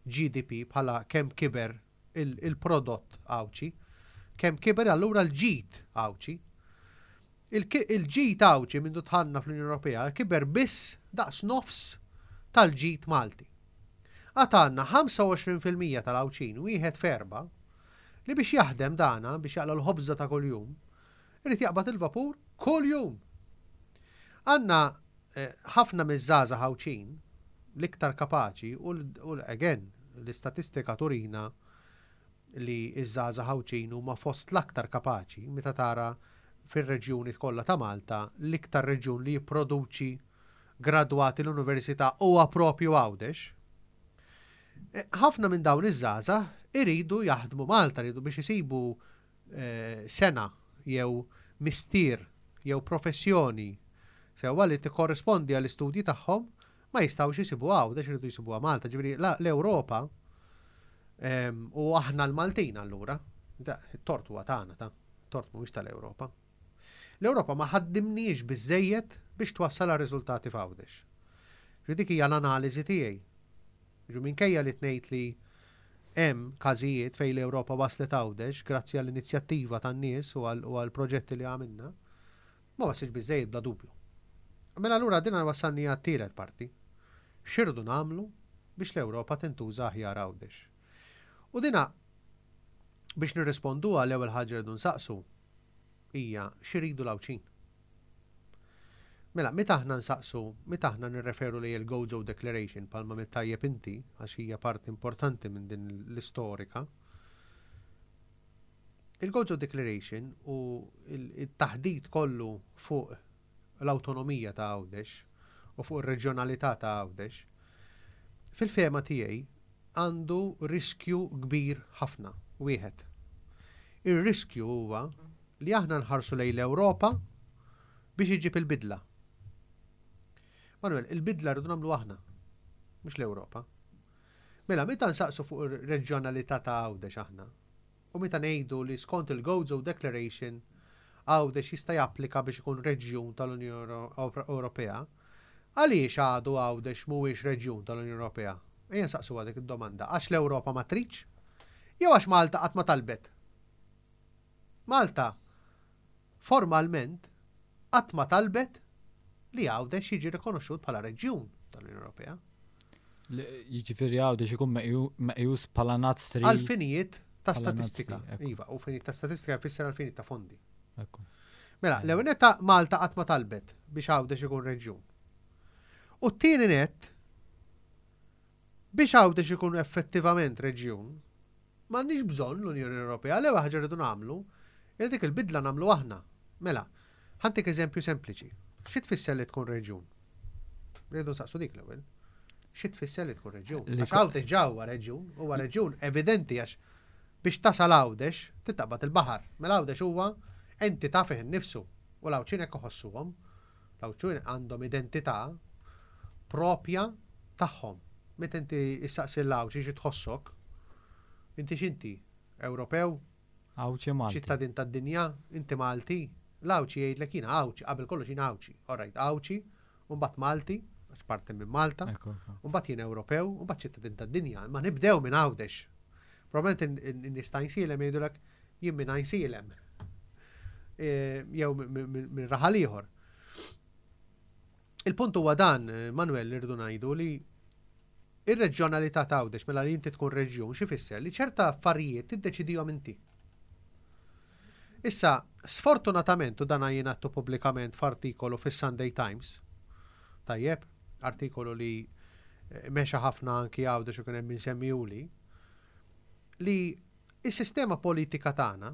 GDP, bħala kemm kiber il-prodott Għawdxi. Kemm kiber allura l-ġid Għawdxi. Il-ġid Għawdxi mindu dħalna fl-Unjoni Ewropea kiber biss daqs nofs tal-ġid Malti. Għad għandna 25% tal-Għawdxin, wieħed f'erba', li biex jaħdem dana, biex jaqla' l-ħobża ta' kuljum, Irid jaqbad il-vapur kuljum! Għandna ħafna miż-żgħażagħ Għawdxin, l-iktar kapaċi u again, l-istatistika turina li ż-żgħażagħ Għawdxin huma fost l-aktar kapaċi, meta tara fir-reġjuni kollha ta' Malta, l-iktar reġjun li jipproduċi gradwati l-università huwa propju Għawdex. Ħafna minn dawn iż-żgħażagħ iridu jaħdmu Malta, iridu biex isibu sengħa jew mistier jew professjoni sewwa li tikkorrispondi għall-istudji tagħhom ma jistgħux isibuha Għawdex iridu jsibuha Malta. Ġifieri l-Ewropa u aħna l-Maltin allura, it-tort huwa tagħna ta' tort mhuwiex tal-Ewropa. L-Ewropa ma ħaddimniex biżejjed biex twassal għal riżultati f'Għawdex. Ġifieri dik hija l-analiżi tiegħi. Jiġifieri minkejja li tnejt li hemm każijiet fejn l-Ewropa waslet Għawdex grazzi għall-inizjattiva tan-nies u għall-proġetti li għamilna, ma waslitx biżżejjed bla dubju. Mela allura din wassalni għat-tielet parti. X'irridu nagħmlu biex l-Ewropa tintuża aħjar Għawdex? U dina biex nirrisponduha l-ewwel ħaġa rridu nsaqsu hija x'iridu l-Għawdxin. Mela, meta aħna nsaqsu, meta aħna nirreferu lejn il-Gozo Declaration bħalma għamilt tajjeb inti, għax hija parti importanti minn din l-istorika, il-Gozo Declaration u il-taħdit kollu fuq l-awtonomija ta' Għawdex u fuq ir-reġjonalità ta' Għawdex, fil-fehma tiegħi għandu riskju kbir ħafna, wieħed. Ir-riskju huwa li aħna nħarsu lejn l-Ewropa biex iġib il-bidla. Manuel, il-bidla rridu nagħmlu aħna, mhux l-Ewropa. Mela, meta nsaqsu fuq ir-reġjonalità ta' Għawdex aħna, u meta ngħidu li skont il-Gozo Declaration Għawdex jista' japplika biex ikun reġjun tal-Unjoni Ewropea, għaliex għadu Għawdex mhuwiex reġjun tal-Unjoni Ewropea? Ejja nsaqsuha dik id-domanda. Għax l-Ewropa ma tridx? Jew għax Malta qatt ma talbet? Malta formalment qatt ma talbet li Għawdex jiġi rikonoxxut bħala reġjun tal-Unjoni Ewropea. Jiġifieri Għawdex ikun meqjus bħala NUTS 3. Għal finijiet ta' statistika. Iva, u finijiet ta' statistika jfisser għal finijiet ta' fondi. Mela, l-ewwel netta Malta qatt ma talbet biex Għawdex ikun reġjun. U t-tieni net biex Għawdex ikun effettivament reġjun, M'għandniex bżonn l-Unjoni Ewropea, l-ewwel ħaġa rridu nagħmlu hija dik il-bidla nagħmlu aħna. Mela, ħa ntik eżempju sempliċi. Xi tfisser li tkun reġjun? Rridu nsaqsu dik l-ewwel. Xi tfisser li tkun reġjun? Għax Għawdex ġa huwa reġjun, huwa reġjun evidenti għax Biex tasal Għawdex, trid taqbad il-baħar. Mela Għawdex huwa entità fih innifsu u l-Għawdxin hekk iħossuhom. L-Għawdxin għandhom identità propja tagħhom. Meta inti issaqsi l-Għawdxi xi tħossok, inti x'inti? Ewropew? Għawdxi Malti. Ċittadin tad-dinja? Inti Malti? L-Għawdxi jgħidlek jiena Għawdxi, qabel kollox jiena Għawdxi. All right, Għawdxi, u mbagħad Malti, għax parti minn Malta, u mbagħad jien Ewropew, u mbagħad ċittadin tad-dinja, imma nibdew minn Għawdex. Probabbilment in-nies ta' Għajnsielem jgħidulek jien minn Għajnsielem. E, jew minn raħal ieħor. Il-punt huwa dan, Manuel, li rridu ngħidu li ir-reġjonalità ta' Għawdex mela li inti tkun reġjun xi fisser li ċerta affarijiet tiddeċidihom inti. Issa, sfortunatament, u dan jien għadtu pubblikament f'artikolu fis-Sunday Times, tajjeb, artikolu li eh, mexa ħafna anki Għawdex u kien hemm min semmihuli, li s-sistema politika tagħna,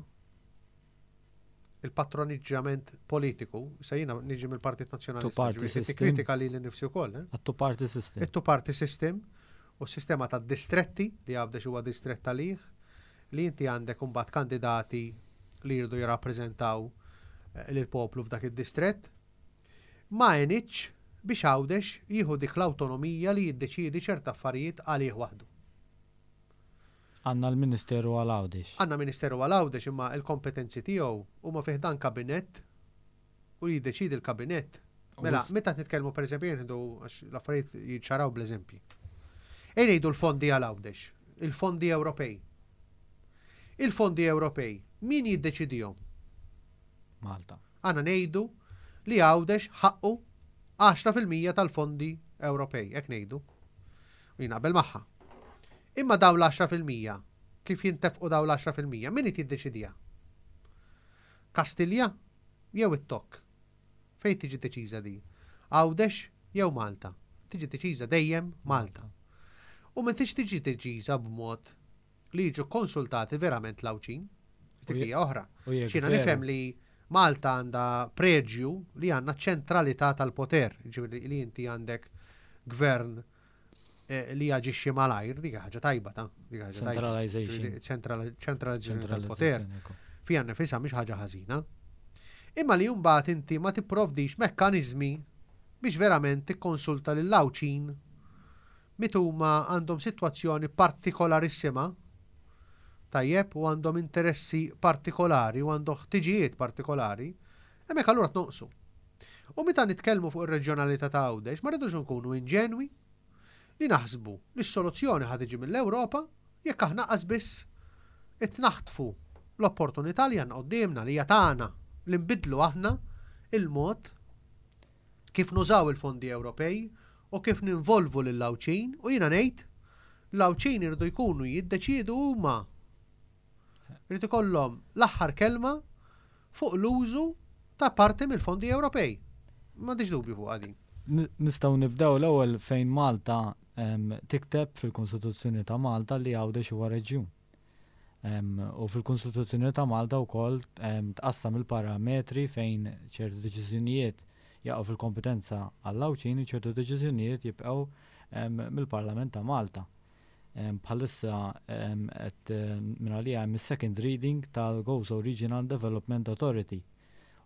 il-patroniġġjament politiku, se jiena niġi mill-Partit Nazzjonalista, ġifieri tikkritika lili nnifsi wkoll. Eh? It-two party system. It-two party system u s-sistema ta' distretti li Għawdex huwa distrett għalih, li inti għandek imbagħad kandidati li jridu jirrappreżentaw eh, lill-poplu f'dak id-distrett, ma għenitx biex Għawdex jieħu dik l-awtonomija li jiddeċiedi ċerta affarijiet għalih waħdu. Għandna l-Ministeru għal Għawdex. Għandna Ministeru għal Għawdex imma l-kompetenzi tiegħu huma fi ħdan kabinett u li jiddeċiedi l-kabinett. Mela, meta qed nitkellmu pereżempju jien nieħdu għax l-affarijiet jiċċaraw bl-eżempji. Ejja ngħidu l-fondi għal Għawdex, il-fondi Ewropej. Il-fondi Ewropej, min jiddeċidihom? Malta. Għandna ngħidu li Għawdex ħaqqu 10% tal-fondi Ewropej, hekk ngħidu. U jien naqbel magħha. Imma dawn l-10%, kif jintefqu dawn l-10%, min qed jiddeċidiha? Kastilja jew it-Tokk? Fejn tiġi deċiża din? Għawdex jew Malta? Tiġi deċiża dejjem Malta. U ma tix tiġi deċiża b'mod li jiġu konsultati verament l-Għawdxin. Dik hija oħra. Xina nifhem li Malta għandha preġju li għandna ċentralità tal-poter, ġifieri li inti għandek gvern eh, li jaġixxi malajr, dik ħaġa tajba ta' dik ħaġa Centralization. Ċentralizzazzjoni tal-poter. Fija nifisha mhix ħaġa ħażina. Imma li mbagħad inti ma tipprovdix mekkaniżmi biex verament tikkonsulta lil Għawdxin meta huma għandhom sitwazzjoni partikolarissima, tajjeb, u għandhom interessi partikolari u għandhom ħtiġijiet partikolari, hemmhekk allura tnoqsu. U meta nitkellmu fuq ir-reġjonalità ta' Għawdex ma rridux nkunu inġenwi li naħsbu li s-soluzzjoni ħa tiġi mill-Ewropa jekk aħna qas biss qed naħtfu l-opportunità li għandna quddiemna li hija tagħna li nbiddlu aħna il-mod kif nużaw il-fondi Ewropej u kif ninvolvu lill-Għawdxin u jiena ngħid l-Għawdxin iridu jkunu jiddeċiedu huma. Irid ikollhom l-aħħar kelma fuq l-użu ta' parti mill-fondi Ewropej. M'għandix dubju fuqha din. Nistgħu nibdew l-ewwel fejn Malta tikteb fil-Kostituzzjoni ta' Malta li Għawdex huwa reġjun. U fil-Kostituzzjoni ta' Malta wkoll tqassam il-parametri fejn ċertu deċiżjonijiet jaqgħu fil-kompetenza għall-Għawdxin u ċertu deċiżjonijiet jibqgħu mill-Parlament ta' Malta. Bħalissa qed minn għalija hemm is-second reading tal-Gozo Regional Development Authority.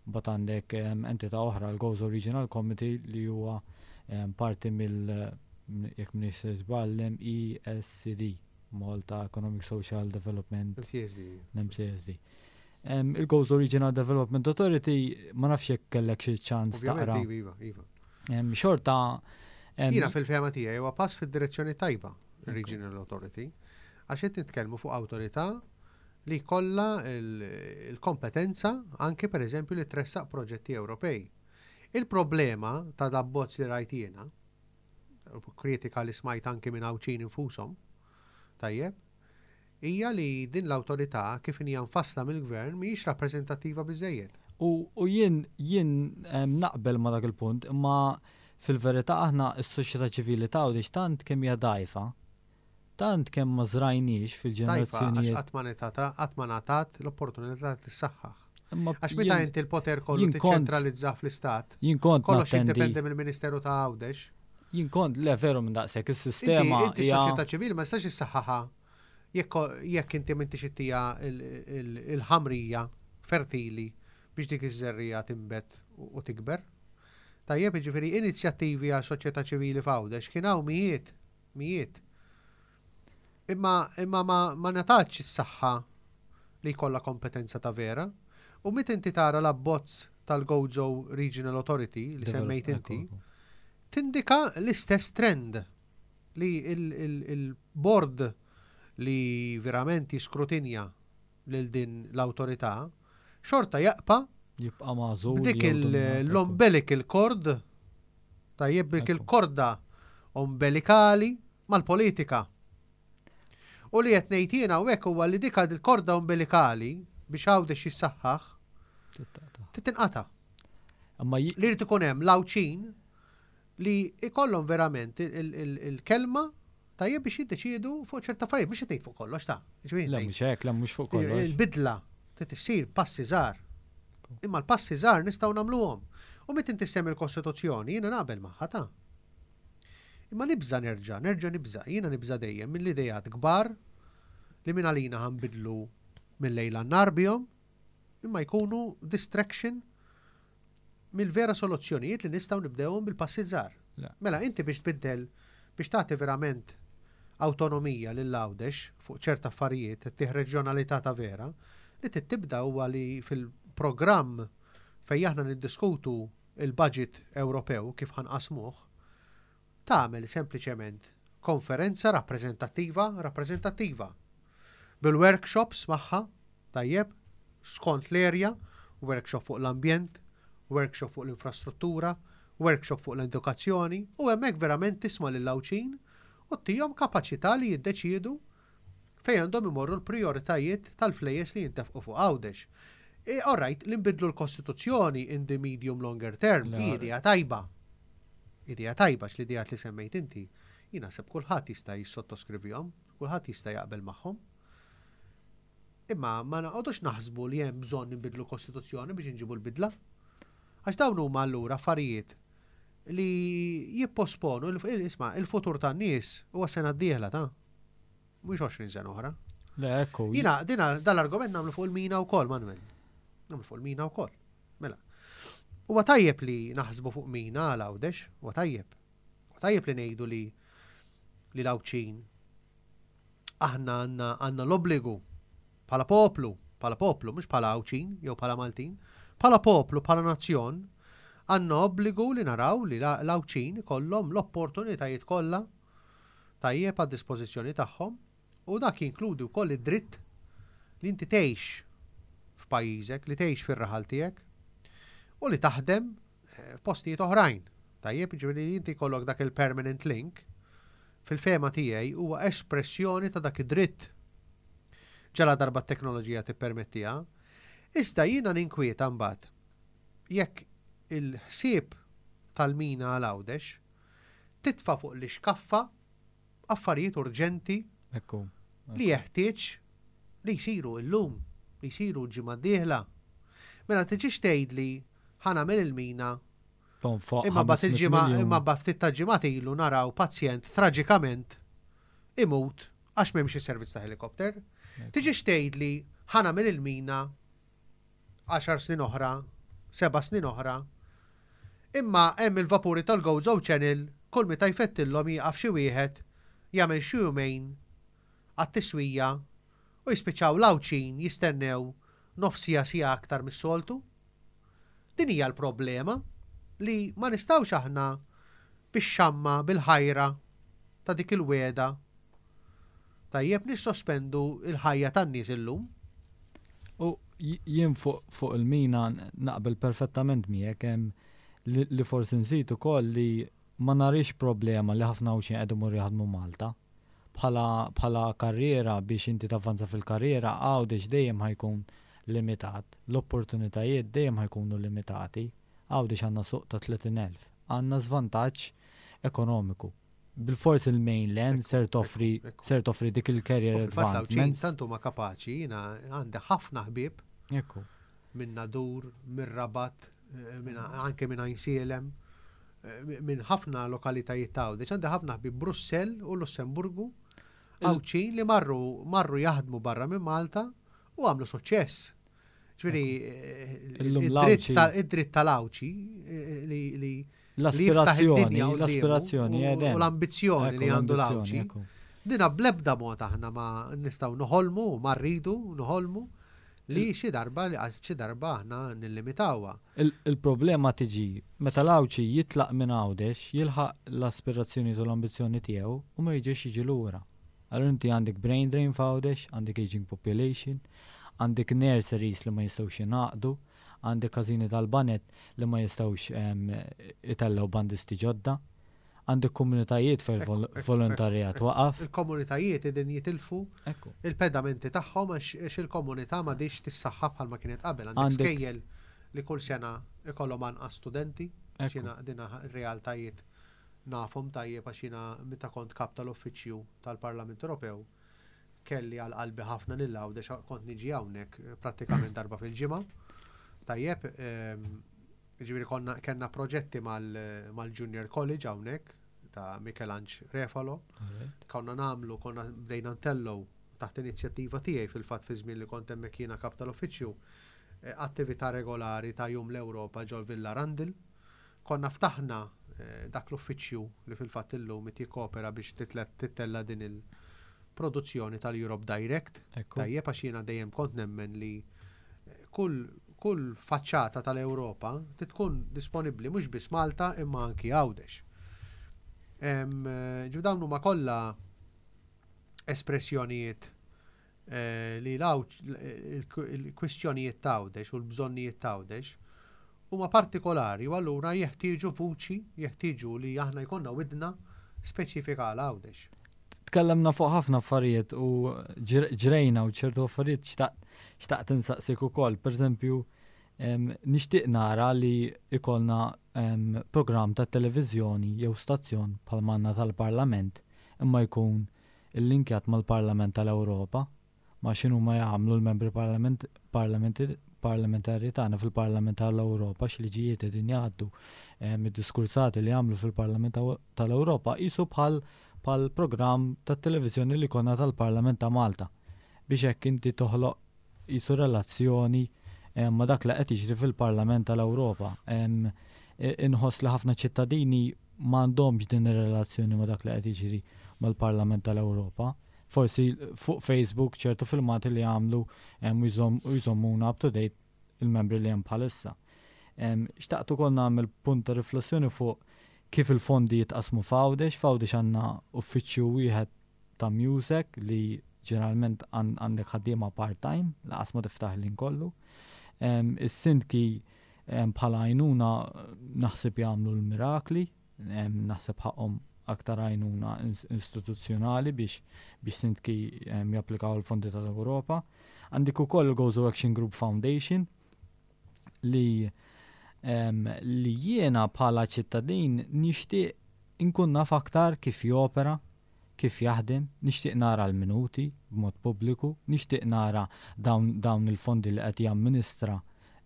Mbagħad għandek entità oħra l-Gozo Regional Committee li huwa parti mill jekk m'iniex żball l-MESCD. Malta Economic Social Development. MCSD. MCSD. Il-Gozo Regional Development Authority ma nafx jekk kellek xi ċans taqra. Iva, iva. Xorta. Jiena fil-fehma tiegħi huwa pass fid-direzzjoni tajba Regional Authority għax qed nitkellmu fuq awtorità li jkollha il-kompetenza anke pereżempju li tressaq proġetti Ewropej. Il-problema ta' dabbozz li rajt jiena kritika li smajt anki minn Għawdxin infushom, tajjeb, hija li din l-awtorità kif inhi mfassla mill-gvern mhijiex rappreżentattiva biżżejjed. U, u jien, jien naqbel ma dak il-punt, imma fil-verità aħna s-soċjetà ċivili ta' Għawdex tant kemm hija dgħajfa, tant kemm ma żrajniex fil-ġenerazzjonijiet. Qatt ma ngħatata, qatt ma ngħatat l-opportunità li tissaħħaħ. Għax meta inti l-poter kollu tiċċentralizzah fl-istat, jien kont kollox jiddependi mill-Ministeru ta' Għawdex. Jien kont, le veru minn daqshekk is-sistema. Inti s-soċjetà ċivili ma tistax issaħħaħha. Jekk inti m'intix ittija il-ħamrija fertili biex dik iż-żerriegħa tinbet u tikber. Tajjeb, jiġifieri inizjattivi għal soċjetà ċivili f'Għawdex kien hawn mijiet, mijiet. Imma imma ma, ma ngħatatx is-saħħa li jkollha kompetenza ta' vera. U meta inti tara l-abbozz tal-Gozo Regional Authority li semmejt inti, tindika l-istess trend li il-bord li verament jiskrutinja lil din l-awtorità xorta jaqpa' jibqa' magħżul dik l-umbilical cord tajjeb dik il-korda umbilikali mal-politika. U li qed ngħid jiena hawnhekk huwa li dik il-korda umbilikali biex Għawdex jissaħħaħ titinqata'. Li jrid ikun hemm l-Għawdxin li jkollhom verament il-kelma tajjeb biex jiddeċiedu fuq ċerta affarijiet, mhux qed ngħid fuq kollox ta'. Le mhux hekk, le mhux fuq kollox. Il-bidla trid issir passi żgħar. Imma l-passi żgħar nistgħu nagħmluhom. U meta inti semmi l-Kostituzzjoni, jiena naqbel magħha ta'. Imma nibża' nerġa', nerġa' nibża', jiena nibża' dejjem mill-ideat kbar li minn għalina ħanbidlu mill-lejl għan-nhar bihom, imma jkunu distraction mill-vera soluzzjonijiet li nistgħu nibdewhom bil-passi żgħar. Mela inti biex tbiddel biex tagħti verament awtonomija lil Għawdex fuq ċerta affarijiet, ittih reġjonalità ta' vera, li trid tibda huwa li fil-programm fejn aħna niddiskutu il-budget Ewropew kif ħa nqassmuh, tagħmel sempliċement konferenza rappreżentattiva rappreżentattiva bil-workshops magħha, tajjeb, skont l-area, workshop fuq l-ambjent, workshop fuq l-infrastruttura, workshop fuq l-edukazzjoni u hemmhekk verament tisma' lill-Għawdxin u ttihom kapaċità li jiddeċiedu fejn għandhom imorru l-prijoritajiet tal-flejjes li jintefqu fuq Għawdex. All right, li nbiddlu l-Kostituzzjoni in the medium longer term hi idea tajba. Idea tajba għax l-ideat li semmejt inti, jien naħseb kulħadd jista' jissottoskrivihom, kulħadd jista' jaqbel magħhom. Imma ma noqogħdux naħsbu li hemm bżonn inbiddlu l-Kostituzzjoni biex inġibu l-bidla. Għax dawn huma allura affarijiet li jipposponu, isma' il-futur tan-nies huwa sena d-dieħla ta' mhux 20 sena oħra. Le, ekku. Jiena dina dal-argument nagħmlu fuq il-mina wkoll, Manuel. Nagħmlu fuq il-mina wkoll. Mela. Huwa tajjeb li naħsbu fuq mina għal Għawdex, huwa tajjeb. Huwa tajjeb li ngħidu li li l-Għawdxin aħna għandna għandna l-obbligu bħala poplu, bħala poplu, mhux bħala Għawdxin jew bħala Maltin, bħala poplu, bħala nazzjon, għandna obbligu li naraw li l-Għawdxin ikollhom l-opportunitajiet kollha tajjeb għad-dispożizzjoni tagħhom u dak jinkludi wkoll id-dritt li inti tgħix f'pajjiżek, li tgħix fir-raħal tiegħek u li taħdem eh, f'postijiet oħrajn. Tajjeb, ġifieri li inti jkollok dak il-permanent link, fil-fehma tiegħi huwa espressjoni ta' dak id-dritt. Ġala darba t-teknoloġija tippermettiha. Iżda jiena ninkwieta mbagħad jekk il-ħsieb tal-mina għal Għawdex titfa' fuq l-ixkaffa affarijiet urġenti li jeħtieġ li jsiru illum, li jsiru l-ġimgħa d-dieħla. Mela tiġix tgħidli ħa nagħmel il-mina imma mbagħad il-ġimgħa imma mbagħad ftit ta' ġimgħat ilu naraw pazjent traġikament imut għax m'hemmx is-servizz ta' helikopter. Tiġix tgħidli ħa nagħmel il-mina għaxar snin oħra, seba' snin oħra. Imma hemm il-vapuri tal-Gozo Channel kull meta jfettillhom jieqaf xi wieħed jagħmel xi jumejn għat-tiswija u jispiċċaw l-Għawdxin jistennew nofs siegħa siegħa aktar mis-soltu. Din hija l-problema li ma nistgħux aħna bix-xamma, bil-ħajra ta' dik il-wegħda Tajjeb nissospendu l-ħajja tan-nies illum. U jien fuq il-mina naqbel perfettament miegħek hemm li forsi nżid ukoll li ma narix problema li ħafna Għawdxin qed imorru jaħdmu Malta. Bħala bħala karriera biex inti tavvanza fil-karriera Għawdex dejjem ħa jkun limitat, l-opportunitajiet dejjem ħa jkunu limitati. Għawdex għandna suq ta' 30,000. Għandna żvantaġġ ekonomiku. Bilfors il-mainland ser toffri ser toffri dik il-career advancement. Tant huma kapaċi, jiena għandi ħafna ħbieb. Ekku. Minn Nadur, minn Rabat, eh, minn anke minn Għajnsielem, eh, minn ħafna lokalitajiet ta' Għawdex, għandi ħafna ħbieb Brussell u Lussemburgu. Għawdxin li marru marru jaħdmu barra minn Malta u għamlu suċċess. Ġifieri id-dritt tal-Għawdxi li li l-aspirazzjoni, l-aspirazzjoni u l-ambizzjoni li għandu l-Għawdxi. Dina bl-ebda mod aħna ma nistgħu noħolmu, ma rridu noħolmu li xi darba li xi darba aħna nillimitawha. Il-problema tiġi meta l-Għawdxi jitlaq minn Għawdex, jilħaq l-aspirazzjonijiet u l-ambizzjoni tiegħu u ma jerġax jiġi lura. Allura inti għandek brain drain f'Għawdex, għandek aging population, għandek nurseries li ma jistgħux jingħaqdu, għandek każini tal-baned li ma jistgħux itellgħu bandisti ġodda. Għandek komunitajiet fejn volontarjat waqaf. Il-komunitajiet qegħdin jitilfu il-pedamenti tagħhom għax il-komunità m'għadhiex tissaħħa bħalma kienet qabel. Għandek skejjel li kull sena ikollhom anqas studenti, jiena dina realtajiet nafhom tajjeb għax jiena meta kont kap tal-uffiċċju tal-Parlament Ewropew kelli għal qalbi ħafna lil Għawdex kont niġi hawnhekk prattikament darba fil-ġimgħa. Tajjeb, Jiġifieri konna kellna proġetti mal-Junior College hawnhekk ta' Mikelanġ Refalo. Konna nagħmlu, konna bdejna ntellgħu taħt inizjattiva tiegħi fil-fatt fi żmien li kont hemmhekk jiena kap tal-uffiċċju eh, attività regolari ta' Jum l-Ewropa ġol Villa Randil. Konna ftaħna eh, dak l-uffiċċju li fil-fatt illum qed jikkopera biex tittella din il-produzzjoni tal-Europe Direct. Tajjeb għax jiena dejjem kont nemmen li eh, kull Kull faċċata tal-Ewropa trid tkun disponibbli mhux biss Malta imma anki Għawdex. Ġifieri dawn huma kollha espressjonijiet eh, li l-kwistjonijiet ta' Għawdex u l-bżonnijiet ta' Għawdex huma partikolari u allura jeħtieġu vuċi, jeħtieġu li aħna jkollna widna speċifika għal Għawdex. Tkellemna fuq ħafna affarijiet u ġrejna u ċertu affarijiet xtaqt insaqsik ukoll. Per eżempju, nixtieq nara li ikollna programm ta' televiżjoni jew stazzjon bħal manna tal-Parlament imma jkun illinkjat mal-Parlament tal-Ewropa ma' x'inhuma jagħmlu l-membri parlamentari tagħna fil-Parlament tal-Ewropa, x'liġijiet qegħdin jgħaddu, id-diskursati li jagħmlu fil-Parlament tal-Ewropa qisu bħal bħal programm tat-televiżjoni li konna tal-Parlament ta' Malta biex hekk inti toħloq qisu relazzjoni ma' dak li qed jiġri fil-Parlament tal-Ewropa. Inħoss li ħafna ċittadini m'għandhomx din ir-relazzjoni ma' dak li qed jiġri mal-Parlament tal-Ewropa. Forsi fuq Facebook ċertu filmati li għamlu u jżommuna up to date il-membri li hemm bħalissa. Xtaqt ukoll nagħmel punt ta' riflessjoni fuq kif il-fondi jitqassmu f'Għawdex. F'Għawdex għandna uffiċċju wieħed ta' MUSEC li ġeneralment għandek ħaddiema part-time, laqas ma tiftaħ il-ħin kollu. Is-sindki bħala għajnuna naħseb jagħmlu l-mirakli, Naħseb ħaqqhom aktar għajnuna istituzzjonali biex biex sindki japplikaw il-fondi tal-Ewropa. Għandik ukoll il-Gozo Action Group Foundation li li jiena bħala ċittadin nixtieq inkun naf aktar kif jopera, kif jaħdem, nixtieq nara l-minuti b'mod pubbliku, nixtieq nara dawn dawn il-fondi li qed jamministra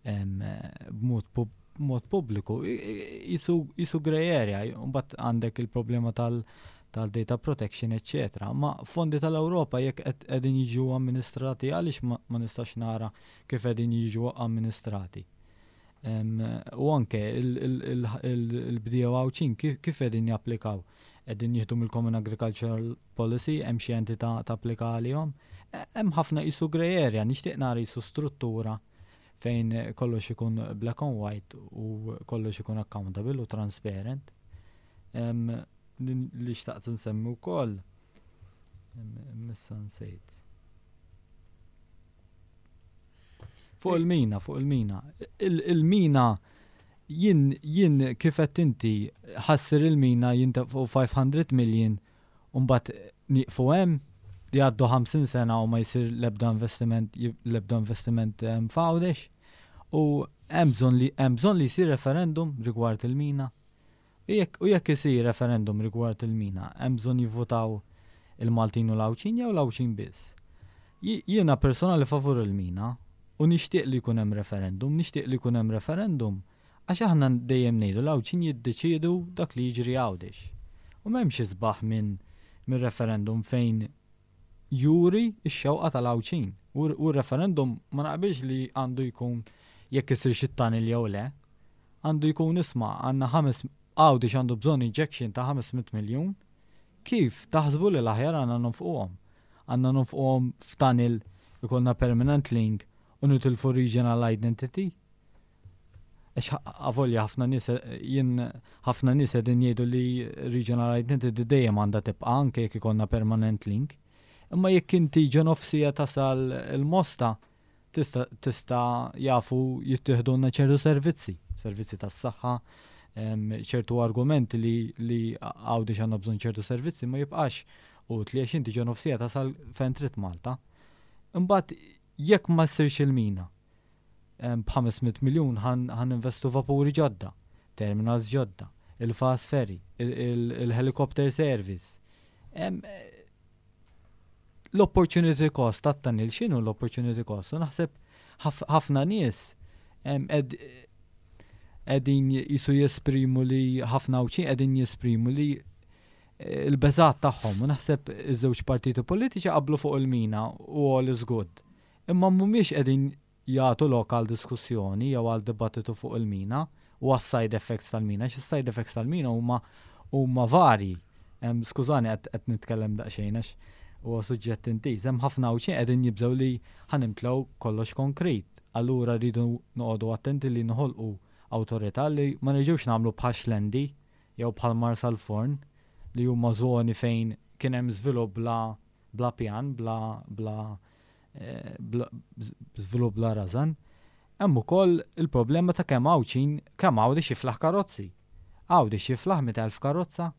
b'mod b'mod pubbliku. Qisu grey area, mbagħad għandek il-problema tal tal-data protection, eċċetera. Ma fondi tal-Ewropa jekk qegħdin jiġu amministrati għaliex ma nistax nara kif qegħdin jiġu amministrati. U anke il-bdiewa Għawdxin kif qegħdin japplikaw? Qegħdin jieħdu mill-Common Agricultural Policy, hemm xi entità tapplika għalihom? Hemm ħafna qisu grey area, nixtieq nara qisu struttura fejn kollox ikun black on white u kollox ikun accountable u transparent. Li xtaqt nsemmi wkoll, missa nsejt. Fuq il-mina, fuq il-mina. Il-mina jien jien kif qed inti ħassir il-mina jintefqu 500 million u mbagħad nieqfu hemm jgħaddu 50 sena u ma jsir l-ebda investiment l-ebda investiment f'Għawdex. U hemm bżonn li hemm bżonn li jsir referendum rigward il-mina. U jekk isir referendum rigward il-mina, hemm bżonn jivvutaw il-Maltin u l-Għawdxin jew l-Għawdxin biss? Jiena personali favur il-mina u nixtieq li jkun hemm referendum, nixtieq li jkun hemm referendum għax aħna dejjem ngħidu l-Għawdxin jiddeċiedu dak li jiġri Għawdex. U m'hemmx isbaħ minn referendum fejn juri x-xewqa tal-Għawdxin. U r-referendum ma naqbilx li għandu jkun jekk isirx it-tunnel jew le. Għandu jkun isma' għandna ħames Għawdex għandu bżonn injection ta' 500 miljun, kif taħsbu li l-aħjar għandna nonfquhom? Għandna nonfquhom f'tunnel ikollna permanent link u nitilfu regional identity? Għax avolja ħafna nies jien ħafna nies qegħdin jgħidu li regional identity dejjem għandha tibqa' anke jekk ikollna permanent link. Imma jekk inti ġo nofsija tasal il-Mosta tista' tista' jafu jittieħdulna ċertu servizzi, servizzi tas-saħħa, ċertu argumenti li li Għawdex għandna bżonn ċertu servizzi ma jibqax utli għax inti ġo nofsija tasal fejn trid Malta. Imbagħad jekk ma ssirx il-mina, b'500 miljun ħa ninvestu vapuri ġodda, terminals ġodda, il-fast ferry, il-helicopter service. L-opportunity cost tat-tunnel, x'inhu l-opportunity cost? U naħseb ħafna nies qegħdin jisu jesprimu li ħafna Għawdxin qegħdin jesprimu li il-beżgħat tagħhom u naħseb iż-żewġ partiti politiċi qablu fuq il-mina u all is good. Imma mhumiex qegħdin jagħtu lok għal diskussjoni jew għal dibattitu fuq il-mina u għas-side effects tal-mina, għax is-side effects tal-mina huma huma varji. Skużani qed qed nitkellem daqsxejn għax huwa suġġett intiż. Hemm ħafna Għawdxin qegħdin jibżgħu li ħa nimtlew kollox konkrit. Allura rridu noqogħdu attenti li noħolqu awtorità li ma nerġgħux nagħmlu bħal Xlendi jew bħal Marsalforn li huma żoni fejn kien hemm żvilupp bla bla pjan, bla bla żvilupp bla rażan. Hemm ukoll il-problema ta' kemm Għawdxin, kemm Għawdex jiflaħ karozzi. Għawdex jiflaħ 100,000 karozza?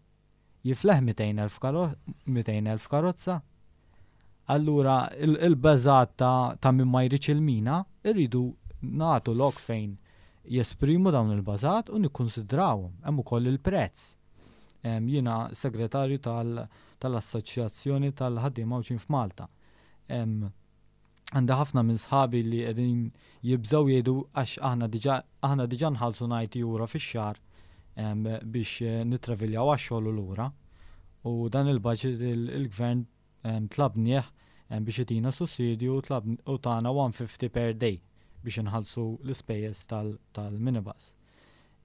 Jifleħ 200,000 karozza? Allura il-beżgħat ta' min ma jridx il-mina irridu nagħtu lok fejn jesprimu dawn il-bażat u nikkunsidrawhom. Hemm ukoll il-prezz. Jiena segretarju tal-Assoċjazzjoni tal-Ħaddiema Għawdxin f'Malta. Għandi ħafna minn sħabi li qegħdin jibżgħu jgħidu għax aħna diġà aħna diġà nħallsu 90 euro fix-xahar biex nittraviljaw għax-xogħol u lura. U dan il-budget il-gvern tlabnieh biex itina sussidju u tana 150 per day biex inħallsu l-ispejjeż tal-minibus.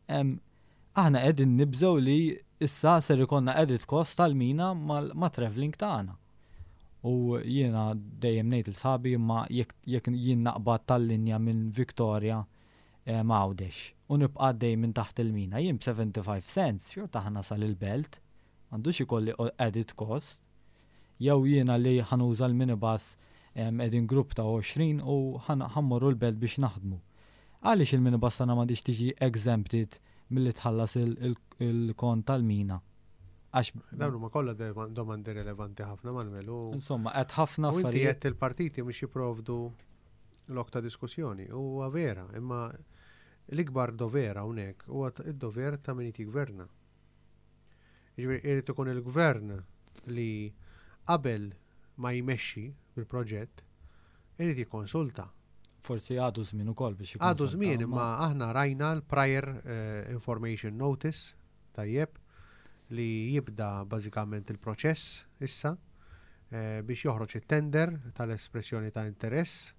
Aħna qegħdin nibżgħu li issa ser ikollna added cost tal-mina ma' travelling tagħna. U jiena dejjem ngħid lil sħabi imma jekk jien naqbad tal-linja minn Victoria Għawdex u nibqa' għaddej minn taħt il-mina, jien b'75 cents xorta ħa nasal il-Belt, m'għandux ikolli added cost. Jew jiena li ħa nuża l-minibus qegħdin grupp ta' 20 u ħa mmorru l-Belt biex naħdmu. Għaliex il-minibus tagħna m'għandhiex tiġi exempted milli tħallas il-kont tal-mina? Għax Dawn huma kollha domandi relevanti ħafna, Manuel. U Insomma, qed ħafna u inti affarijiet. qed il-partiti mhux jipprovdu lok ta' diskussjoni. Huwa vera, imma l-ikbar dover hawnhekk huwa id-dover ta' min jiggverna. Jiġifieri irid ikun il-gvern li qabel ma jmexxi bil-proġett irid jikkonsulta. Forsi għadu żmien ukoll biex Għadu żmien imma aħna rajna l-prior information notice tajjeb li jibda bażikament il-proċess issa biex joħroġ it-tender tal-espressjoni ta' interess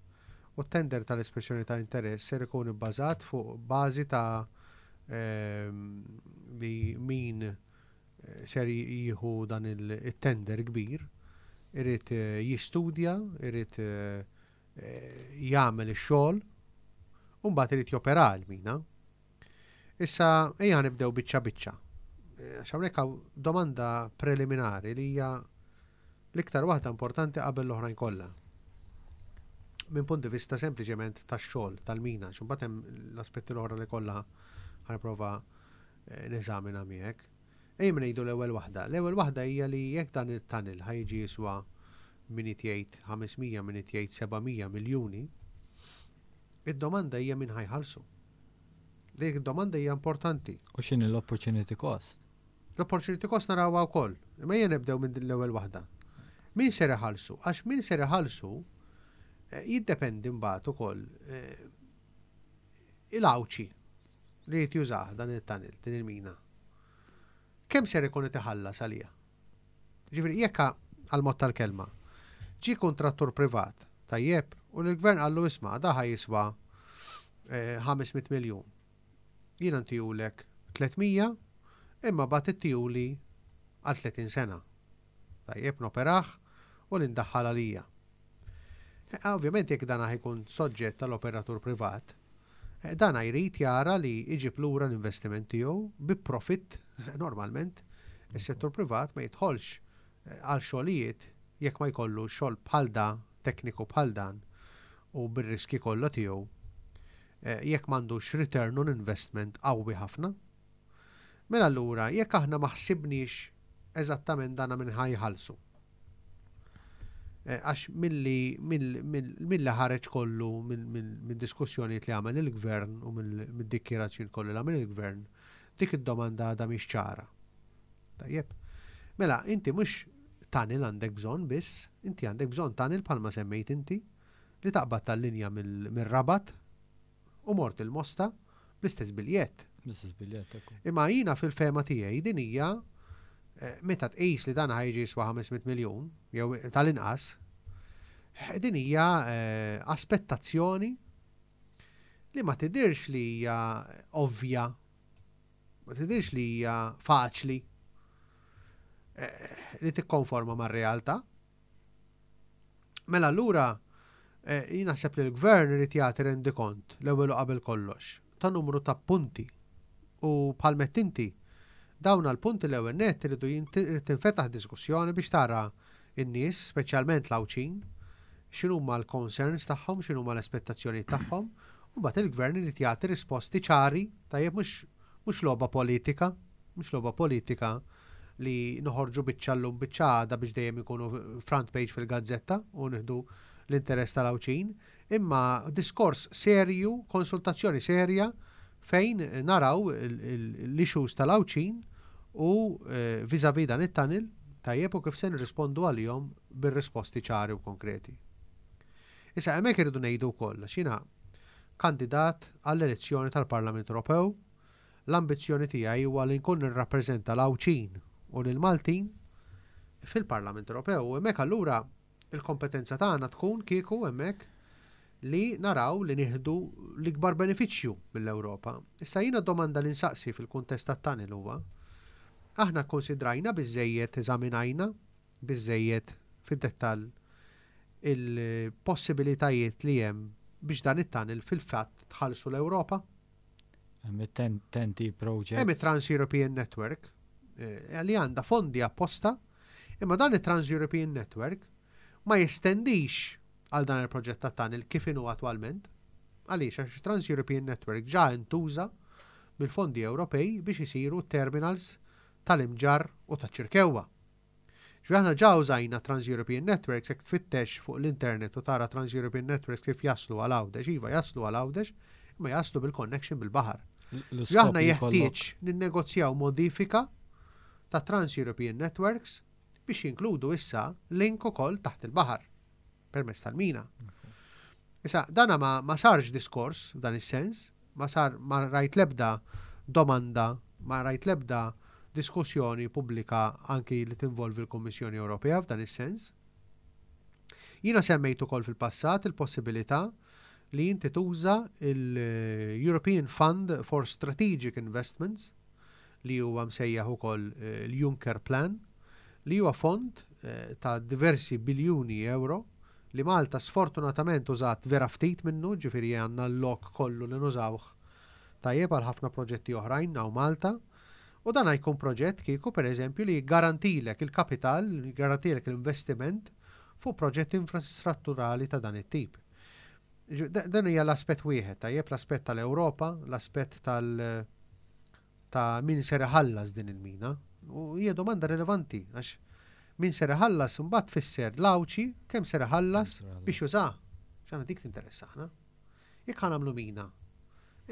u t-tender tal-espressjoni ta' interess ser ikun ibbażat fuq bażi ta' li min ser jieħu dan il-tender kbir irid jistudja, irid jagħmel ix-xogħol u mbagħad irid jopera l-mina. Issa ejja nibdew biċċa biċċa. Għax hawnhekk hawn domanda preliminari li hija l-iktar waħda importanti qabel l-oħrajn kollha. Minn punt di vista sempliċement tax-xogħol tal-mina, għax imbagħad hemm l-aspetti l-oħra li kollha ħa nipprova neżamina miegħek. Ejja ngħidu l-ewwel waħda. L-ewwel waħda hija li jekk dan it-tunnel ħa jiġi jiswa min jgħid 500, min jgħid 700 miljuni, id-domanda hija min ħa jħallsu. Dik id-domanda hija importanti. U x'inhi l-opportunity cost? L-opportunity cost narawha wkoll. Imma ejja nibdew minn din l-ewwel waħda. Min ser iħallsu? Għax min ser iħallsu jiddependi mbagħad ukoll il-Għawdxi li jrid jużah dan il-tunnel, din il-mina. Kemm ser ikun qed iħallas għaliha? Ġifieri jekk għal mod tal-kelma. Ġie kuntrattur privat, tajjeb, u l-gvern qallu isma' da ħa jiswa 500 miljun. Jiena ntihulek 300 imma mbagħad ittihuli għal 30 sena. Tajjeb noperah u li ndaħħal għalija. Ovvjament jekk dan jkun soġġett tal-operatur privat, dan jrid jara li iġib lura l-investiment tiegħu bi profitt normalment. Is-settur privat ma jidħolx għal xogħlijiet jekk ma jkollu xogħol bħal da, tekniku bħal dan u bir-riski kollha tiegħu jekk m'għandux return on investment qawwi ħafna. Mela allura jekk aħna ma ħsibniex eżattament dana minn ħa jħallsu. Għax milli ħareġ kollu minn diskussjonijiet li għamel il-gvern u mid-dikjarazzjoni kollu li għamel il-gvern, dik id-domanda għadha mhix ċara. Tajjeb. Mela, inti mhux tunnel għandek bżonn biss, inti għandek bżonn tunnel bħalma semmejt inti li taqbad tal-linja mill-Rabat u mort il-Mosta bl-istess biljett. Bl-istess biljett, ekku. Imma jiena fil-fehma tiegħi din hija meta tqis li dan ħa jiġi jiswa 500 miljun jew tal-inqas, din hija aspettazzjoni li ma tidirx li hija ovvja, ma tidirx li hija faċli li tikkonforma mar-realtà. Mela allura jien naħseb li l-gvern irid jagħti rendikont l-ewwel u qabel kollox ta' numru ta' punti. U bħal m'għedt inti, dawn għall-punti l-ewwel nett iridu irid tinfetaħ diskussjoni biex tara n-nies, speċjalment l-Għawdxin, x'inhuma l-concerns tagħhom, x'inhuma l-aspettazzjonijiet tagħhom, u mbagħad il-gvern irid jagħti risposti ċari, tajjeb mhux logħba politika, mhux logħba politika li noħorġu biċċa llum biċċa għada biex dejjem ikunu front page fil-gazzetta u nieħdu l-interess tal-Għawdxin, imma diskors serju, konsultazzjoni serja fejn naraw l-issues tal-Għawdxin u vis-a-vis dan it-tunnel tajjeb u kif se nirrispondu għalihom bir-risposti ċari u konkreti. Issa hemmhekk irridu ngħidu wkoll għax jiena kandidat għall-elezzjoni tal-Parlament Ewropew, l-ambizzjoni tiegħi huwa li nkun nirrappreżenta l-Għawdxin u lill-Maltin fil-Parlament Ewropew u hemmhekk allura il-kompetenza tagħna tkun kieku hemmhekk li naraw li nieħdu l-ikbar benefiċċju mill-Ewropa. Issa jiena domanda li nsaqsi fil-kuntest tat-tunnel huwa aħna kkonsidrajna biżejjed, eżaminajna biżejjed fid-dettall il-possibilitajiet li hemm biex dan it-tunnel fil-fatt tħallsu l-Ewropa? Hemm it-TEN-T project. Hemm it-Trans-European Network li għandha fondi apposta, imma dan it-Trans-European Network ma jestendix għal dan il-proġett ta' tunnel kif inhu attwalment. Għaliex għax Trans-European Network ġa intuża mill-fondi Ewropej biex isiru terminals tal-Imġarr u taċ-Ċirkewwa. Ġifieri aħna ġa użajna Trans-European Networks, jekk tfittex fuq l-internet u tara Trans-European Networks kif jaslu għal Għawdex, iva jaslu għal Għawdex, imma jaslu bil-connection bil-baħar. Ġifieri aħna jeħtieġ ninnegozjaw modifika ta' Trans-European Networks biex jinkludu issa link ukoll taħt il-baħar permezz tal-mina. Issa, dana ma sarx diskors f'dan is-sens, ma sar ma rajt lebda domanda, ma rajt lebda diskussjoni pubblika anki li tinvolvi l-Kummissjoni Ewropea f'dan is-sens. Jiena semmejt ukoll fil-passat il-possibilità li inti tuża il-European Fund for Strategic Investments li huwa msejjaħ ukoll l-Juncker Plan, li huwa fond ta' diversi biljuni euro li Malta sfortunatament użat vera ftit minnu, ġifieri għandna l-lok kollu li nużawh tajjeb għal ħafna proġetti oħrajn hawn Malta. U dan jkun proġett kieku pereżempju li jiggarantilek il-kapital, jiggarantilek l-investiment fuq proġetti infrastrutturali ta' dan it-tip. Dan hija l-aspett wieħed, tajjeb l-aspett tal-Ewropa, l-aspett tal- ta' min ser iħallas din il-mina. U hija domanda rilevanti għax min ser iħallas imbagħad tfisser l-Għawdxi kemm ser iħallas biex jużah. X'aħna dik tinteressana. Jekk ħa nagħmlu mina,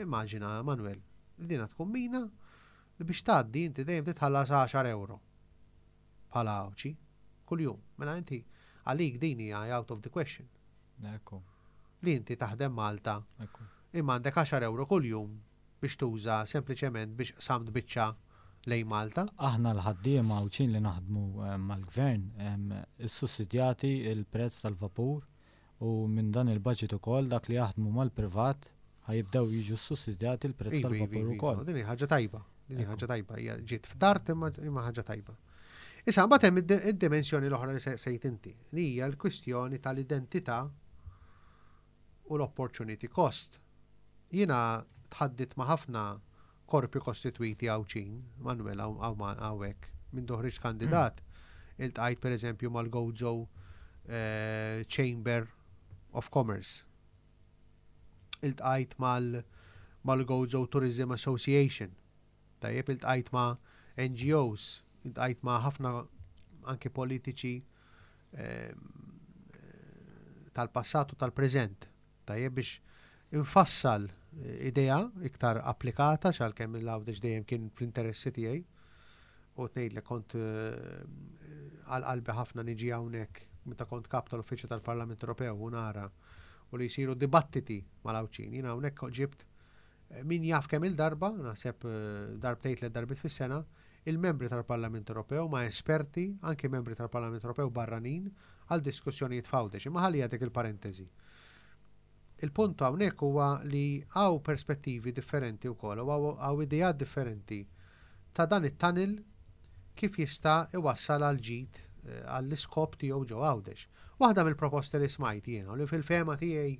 immaġina Manuel, li dina tkun mina li biex tgħaddi inti dejjem titħallas 10 euro bħala Għawdxi kuljum. Mela inti għalik din hija out of the question. Ekku. Li inti taħdem Malta Ekku. imma għandek 10 euro kuljum biex tuża sempliċement biex samt biċċa lejn Malta. Aħna l-ħaddiema Għawdxin li naħdmu mal-Gvern issussidjati l-prezz tal-vapur u minn dan il-budget ukoll dak li jaħdmu mal-privat ħa jibdew jiġu ssussidjati l-prezz tal-vapur ukoll. Din hi ħaġa tajba, din hi ħaġa tajba, hija ġiet f'tard imma ħaġa tajba. Issa mbagħad hemm id-dimensjoni l-oħra li sejt inti, li hija l-kwistjoni tal-identità u l-opportunity cost. Jiena tħaddit ma' ħafna korpi kostitwiti Għawdxin, Manuel hawnhekk, mindu ħriġt kandidat, iltqajt pereżempju mal-Gozo Chamber of Commerce. Iltqajt mal-Gozo Tourism Association. Tajjeb, iltqajt ma' NGOs, iltqajt ma' ħafna anki politiċi tal-passat u tal-preżent. Tajjeb biex infassal idea iktar applikata għalkemm l-Għawdex dejjem kien fl-interessi tiegħi. U tgħidlek kont għal qalbi ħafna niġi hawnhekk meta kont kap tal-Uffiċċju tal-Parlament Ewropew u nara u li jsiru dibattiti mal-Għawdxin. Jiena hawnhekk ġibt min jaf kemm il-darba, naħseb darbtejn tliet darbiet fis-sena, il-membri tal-Parlament Ewropew ma' esperti, anki membri tal-Parlament Ewropew barranin, għal diskussjonijiet f'Għawdex. Imma ħalliha dik il-parentesi. Il-punt hawnhekk huwa li hawn perspettivi differenti wkoll u hawn ideat differenti ta' dan it-tunnel kif jista' iwassal għal ġid għall-iskop tiegħu ġo Għawdex. Waħda mill-proposti li smajt jiena u li fil-fehma tiegħi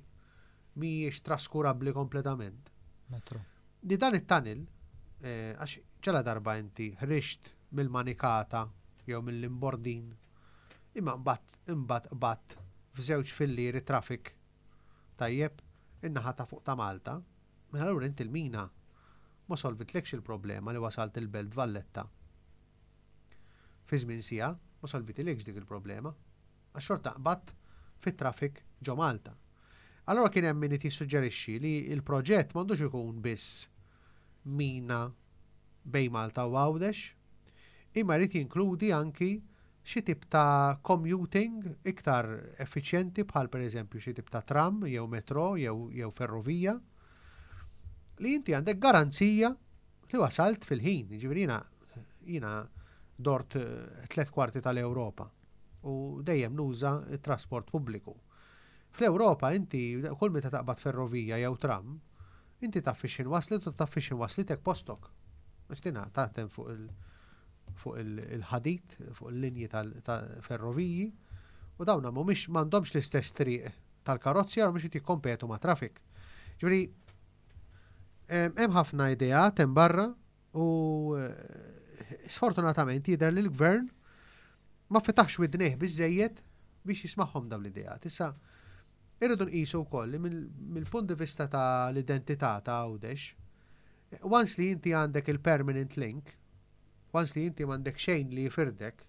mhijiex traskurabbli kompletament. Metro. Li dan it-tunnel, għax ġala darba inti ħriġt mill-manikata jew mill-imbordin, imma mbagħad imbagħad qbadt f'żewġ fillieri traffic tajjeb in-naħa ta' fuq ta' Malta, mela allura inti l-mina ma solvitlekx il-problema li wasalt il-Belt Valletta fi żmien siegħa, ma solvitilekx dik il-problema. Għax xorta qbadt fit-traffic ġo Malta. Allura kien hemm min qed jissuġġerixxi li l-proġett m'għandux ikun biss mina bejn Malta u Għawdex, imma jrid jinkludi anki xi tip ta' commuting iktar effiċjenti bħal pereżempju xi tip ta' tram jew metro jew jew ferrovija li inti għandek garanzija li wasalt fil-ħin. Jiġifieri jiena jiena dort tlett kwarti tal-Ewropa u dejjem nuża t-trasport pubbliku. Fl-Ewropa inti kull meta taqbad ferrovija jew tram, inti taf fix-xejn waslet u taf fix-xejn waslitek postok. Għax tina taħdem fuq il fuq il-ħadid, fuq il-linji tal-ferroviji, u dawna mhumiex m'għandhomx l-istess triq tal-karozzi għal mhux jikkompetu ma' traffic. Ġifieri hemm ħafna ideat hemm barra u sfortunatament jidher li l-gvern ma fetaħx widnejh biżejjed biex jismagħhom dawn l-ideat. Issa irridu nqisu wkoll li mill-punt di vista ta' l-identità ta' Għawdex, once li inti għandek il-permanent link, once li inti m'għandek xejn li jifirdek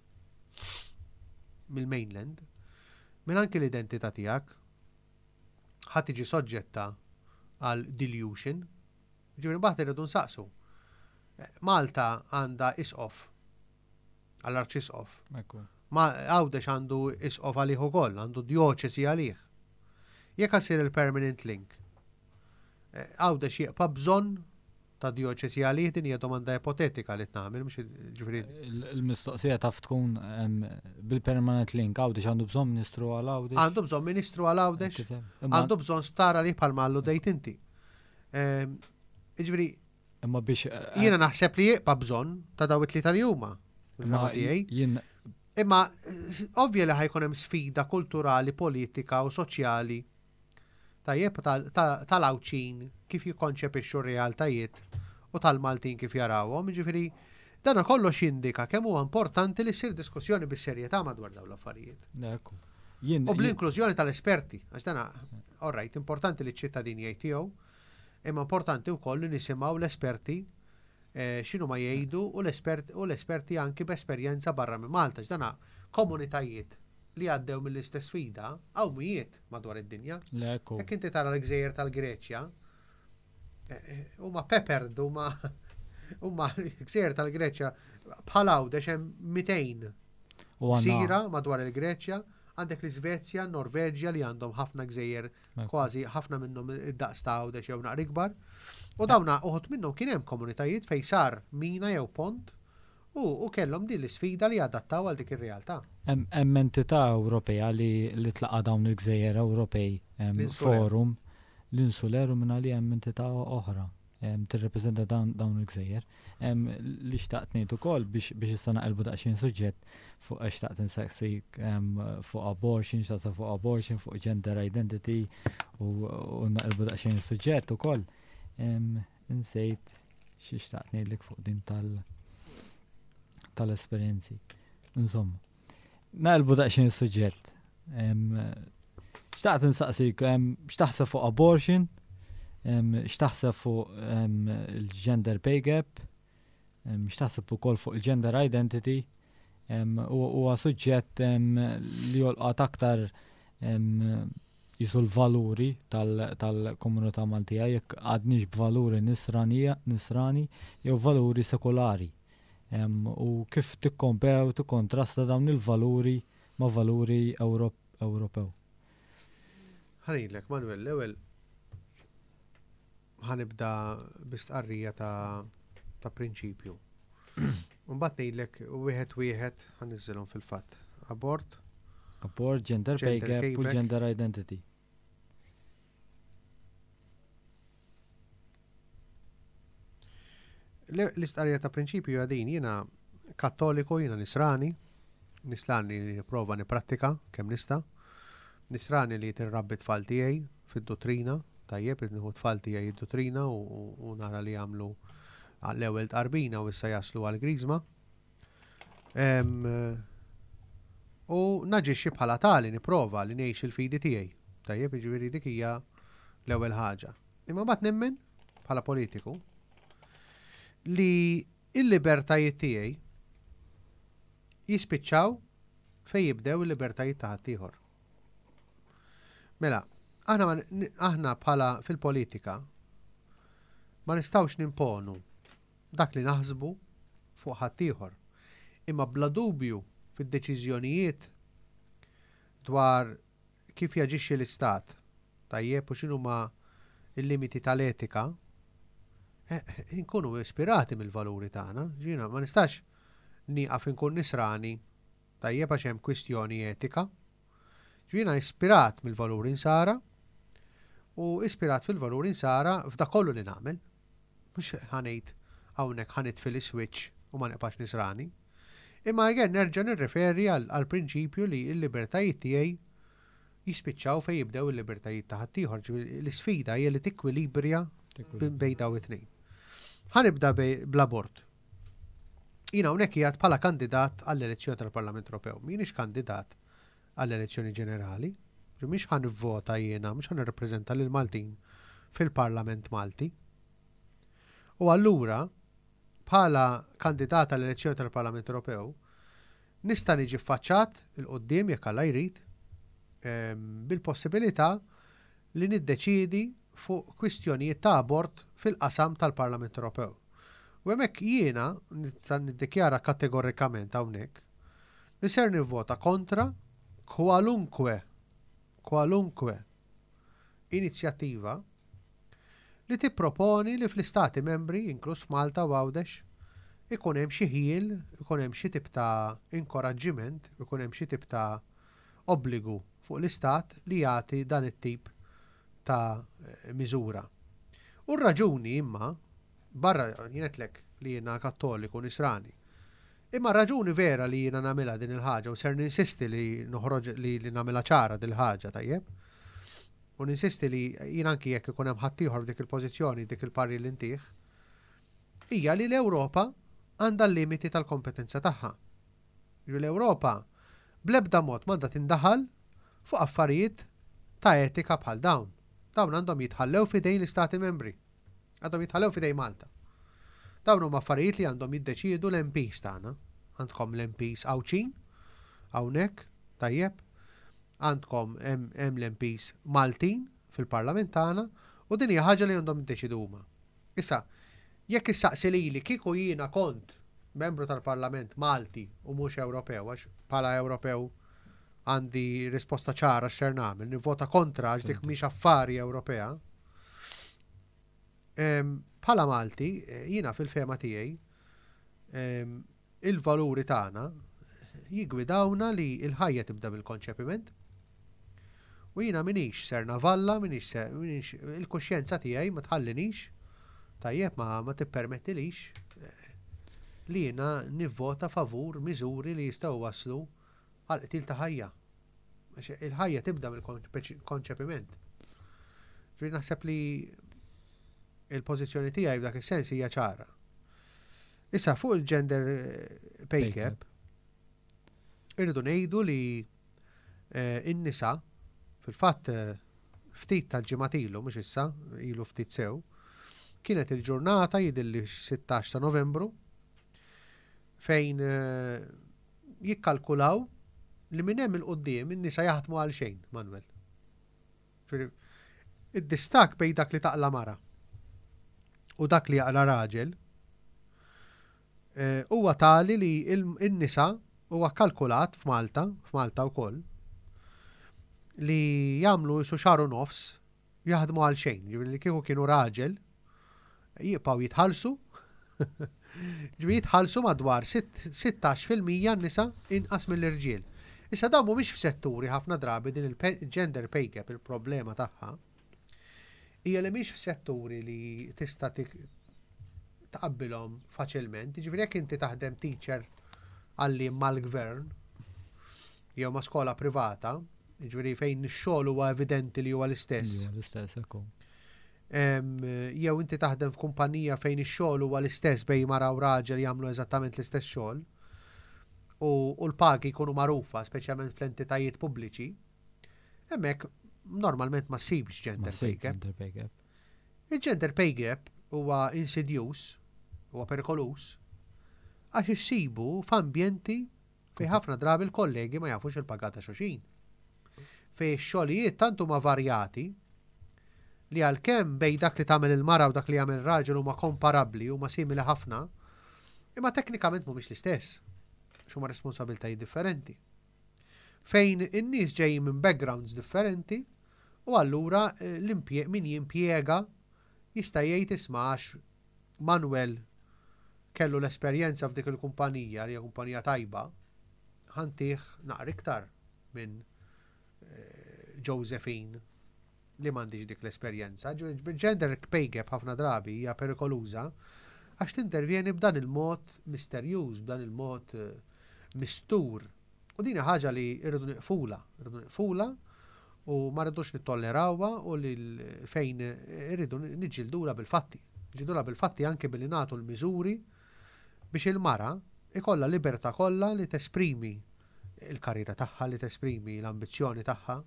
mill-mainland, minn anki l-identità tiegħek ħa tiġi soġġetta għal dilution. Ġifieri mbagħad irridu nsaqsu. Malta għandha isqof għall-arċisqof. Ma Għawdex għandu isqof għalih ukoll, għandu djoċesi għalih. Jekk issir il-permanent link, Għawdex jibqa' bżonn ta' djoċesi għalih? Din hija domanda ipotetika li tnagħmel, mhux ġifieri. Il-mistoqsija taf tkun bil-permanent link, Għawdex għandu bżonn ministru għal Għawdex? Għandu bżonn ministru għal Għawdex? Għandu bżonn sptar għalih bħalma alludejt inti? Ġifieri Imma biex jiena naħseb li jibqa' bżonn ta' daw it-tlieta li huma. Imma jien Imma ovvja li ħa jkun hemm sfida kulturali, politika u soċjali tajjeb tal-Għawdxin kif jikkonċepixxu r-realtajiet u tal-Maltin kif jarawhom, ġifieri dana kollox jindika kemm huwa importanti li ssir diskussjoni bis-serjetà madwar dawn l-affarijiet. Ekku. Jien U bl-inklużjoni tal-esperti, għax dana, all right, importanti li ċ-ċittadini jgħid tiegħu, imma importanti wkoll li nisimgħu l-esperti x'inhu ma jgħidu u l-esperti anki b'esperjenza barra minn Malta, għax dana komunitajiet li għaddew mill-istess sfida hawn mijiet madwar id-dinja. Ekku. Jekk inti tara l-gżejjer tal-Greċja, huma peppered, huma gżejjer tal-Greċja bħal Għawdex hemm 200 U għandna gżira madwar il-Greċja, għandek l-Iżvezja, Norveġja li għandhom ħafna gżejjer kważi ħafna minnhom id-daqs ta' Għawdex jew naqra ikbar. U dawna uħud minnhom kien hemm komunitajiet fejn sar mina jew pont. U kellhom din l-isfida li jadattaw għal dik ir-realtà. Hemm entità Ewropea li tlaqqa' dawn il-gżejjer Ewropej, forum, l-Insuler u mingħalih hemm entità oħra tirrepreżenta dawn il-gżejjer. Li xtaqt ngħid ukoll biex issa naqilbu daqsxejn suġġett fuq għax xtaqt insaqsik fuq abortion, xtaqt fuq abortion, fuq gender identity u naqilbu daqsxejn suġġett ukoll. Insejt xi xtaqt ngħidlek fuq din tal tal-esperjenzi. Insomma, naqilbu daqsxejn suġġett. Xtaqt insaqsik, x'taħseb fuq abortion, x'taħseb fuq il-gender pay gap, x'taħseb ukoll fuq il-gender identity, huwa suġġett li jolqot aktar jisu l-valuri tal-komunità Maltija jekk għadniex b'valuri nisrani jew valuri sekulari. U kif tikkompara u tikkontrasta dawn il-valuri ma' valuri Ewropew. Ħa ngħidlek, Manuel, l-ewwel ħa nibda bistqarrija ta' prinċipju. Mbagħad ngħidlek wieħed wieħed ħa niżżilhom fil-fatt. Abort. Abort, gender pay gap u gender identity. L-istqarrija ta' prinċipju għadin jiena kattoliku, jiena nisrani, nisrani li nipprova niprattika kemm nista', nisrani li tirrabbi tfal tiegħi fid-dottrina, tajjeb, nieħu tfal tiegħi id-dottrina u nara li jagħmlu l-ewwel tqarbina u issa jaslu għal-griżma. U naġixxi bħala tali nipprova li ngħix il-fidi tiegħi. Tajjeb, jiġifieri dik hija l-ewwel ħaġa. Imma mbagħad nemmen bħala politiku li il-libertajiet tiegħi jispiċċaw fejn jibdew il-libertajiet ta' ħaddieħor. Mela, aħna bħala fil-politika ma nistgħux nimponu dak li naħsbu fuq ħaddieħor. Imma bla dubju fid-deċiżjonijiet dwar kif jaġixxi l-istat, tajjeb u x'inhuma il-limiti tal-etika, inkunu ispirati mill-valuri tagħna. Jiena ma nistax nieqaf inkun nisrani tajjeb għax hemm kwistjoni etika. Jiena ispirat mill-valuri nsara u ispirat fil-valuri nsara f'dak kollu li nagħmel. Mhux ħa ngħid hawnhekk ħa nitfi l-switch u ma nibqax nisrani. Imma again nerġa' nirreferi għal prinċipju li l-libertajiet tiegħi jispiċċaw fejn jibdew il-libertajiet ta' ħaddieħor. L-isfida hija li tikkwilibrja bejn daw it-tnejn. Ħa nibda bl-abort. Jiena hawnhekk qiegħed bħala kandidat għall-elezzjoni tal-Parlament Ewropew. M'iniex kandidat għall-elezzjoni ġenerali. Mhix ħa nivvota jiena, mhux ħa nirrappreżenta lil Maltin fil-Parlament Malti. U allura, bħala kandidat għall-elezzjoni tal-Parlament Ewropew, nista' niġi ffaċċat 'il quddiem jekk Alla jrid bil-possibilità li niddeċiedi fuq kwistjonijiet ta' abort fil-qasam tal-Parlament Ewropew. U hemmhekk jiena nista' niddikjara kategorikament hawnhekk li ser nivvota kontra kwalunkwe inizjattiva li tipproponi li fl-istati membri, inkluż f'Malta u Għawdex, ikun hemm xi ħjiel, ikun hemm xi tip ta' inkoraġġiment, ikun hemm xi tip ta' obbligu fuq l-istat li jagħti dan it-tip ta' miżura. U r-raġuni imma, barra jien għedtlek li jiena kattoliku nisrani, imma raġuni vera li jiena nagħmilha din il-ħaġa u ser ninsisti li noħroġ li nagħmilha ċara din il-ħaġa tajjeb. U ninsisti li jien anki jekk ikun hemm ħaddieħor f'dik il-pożizzjoni, dik il-parir li ntih, hija li l-Ewropa għandha l-limiti tal-kompetenza tagħha. L-Ewropa bl-ebda mod m'għandha tindaħal fuq affarijiet ta' etika bħal dawn. Dawn għandhom jitħallew fidejn l-Istati membri. Għandhom jitħallew fidejn Malta. Dawn huma affarijiet li għandhom jiddeċiedu l-MPs tagħna. Għandkom l-MPs Għawdxin, hawnhekk, tajjeb, għandkom hemm l-MPs Maltin fil-Parlament tagħna u din hija ħaġa li għandhom jiddeċiedu huma. Issa, jekk issaqsi lili kieku jiena kont membru tal-Parlament Malti u mhux Ewropew, għax bħala Ewropew għandi risposta ċara x'ser nagħmel, nivvota kontra għax dik mhix affari Ewropea. Bħala Malti, jiena fil-fehma tiegħi. Il-valuri tagħna jiggwidawna li l-ħajja tibda mill-konċepiment. U jiena m'iniex ser navalla, m'iniex ser, m'iniex, il-kuxjenza tiegħi ma tħallinix, tajjeb, ma, ma tippermettilix li jiena nivvota favur miżuri li jistgħu jwasslu għal qtil ta' ħajja. Għax il-ħajja tibda mill-konċepiment. Ġifieri naħseb li il-pożizzjoni tiegħi f'dak is-sens hija ċara. Issa fuq il-gender pay gap, irridu ngħidu li in-nisa fil-fatt ftit tal-ġimgħat ilu, mhux issa, ilu ftit sew, kienet il-ġurnata jidhirli 16 ta' Novembru fejn jikkalkulaw li minn hemm il-quddiem in-nisa jaħdmu għal xejn, Manuel. Id-distakk bejn dak li taqla mara u dak li jaqla raġel huwa tali li n-nisa huwa kkalkulat f'Malta, f'Malta wkoll, li jagħmlu isu xahar u nofs jaħdmu għal xejn, ġifieri li kieku kienu raġel jibqgħu jitħallsu, ġifieri jitħallsu madwar 16% n-nisa inqas mill-irġiel. Issa dawn mhumiex f'setturi ħafna drabi din il-gender pay gap il-problema tagħha hija li mhix f'setturi li tista' tqabbilhom faċilment. Jiġifieri jekk inti taħdem teacher għalliem mal-gvern jew ma' skola privata, jiġifieri fejn ix-xogħol huwa evidenti li huwa l-istess. L-istess, ekku. Jew inti taħdem f'kumpanija fejn ix-xogħol huwa l-istess bejn mara u raġel jagħmlu eżattament l-istess xogħol u l-pagi jkunu magħrufa, speċjalment fl-entitajiet pubbliċi, hemmhekk normalment ma ssibx gender pay gap. Il-gender pay gap huwa insidjuż, huwa perikoluż, għax issibu f'ambjenti fejn ħafna drabi l-kollegi ma jafux il-paga ta' xulxin. Fejn ix-xogħlijiet tant huma varjati li għalkemm bejn dak li tagħmel il-mara u dak li jagħmel raġel huma komparabbli, huma simili ħafna, imma teknikament mhumiex l-istess, għax huma responsabbiltajiet differenti. Fejn in-nies ġejjin minn backgrounds differenti u allura min jimpjega jista' jgħid isma' għax Manuel kellu l-esperjenza f'dik il-kumpanija li hija kumpanija tajba, ħa ntih naqra iktar minn Josephine li m'għandhiex dik l-esperjenza. Gender pay gap ħafna drabi hija perikoluża għax tintervjeni b'dan il-mod misterjuż, b'dan il-mod mistur. U din hija ħaġa li rridu niqfula, rridu niqfula u ma rridux nittollerawha u li fejn irridu niġġildula bil-fatti. Niġġildula bil-fatti anke billi nagħtu l-miżuri biex il-mara ikollha libertà kollha li tesprimi il-karriera tagħha, li tesprimi l-ambizzjoni tagħha.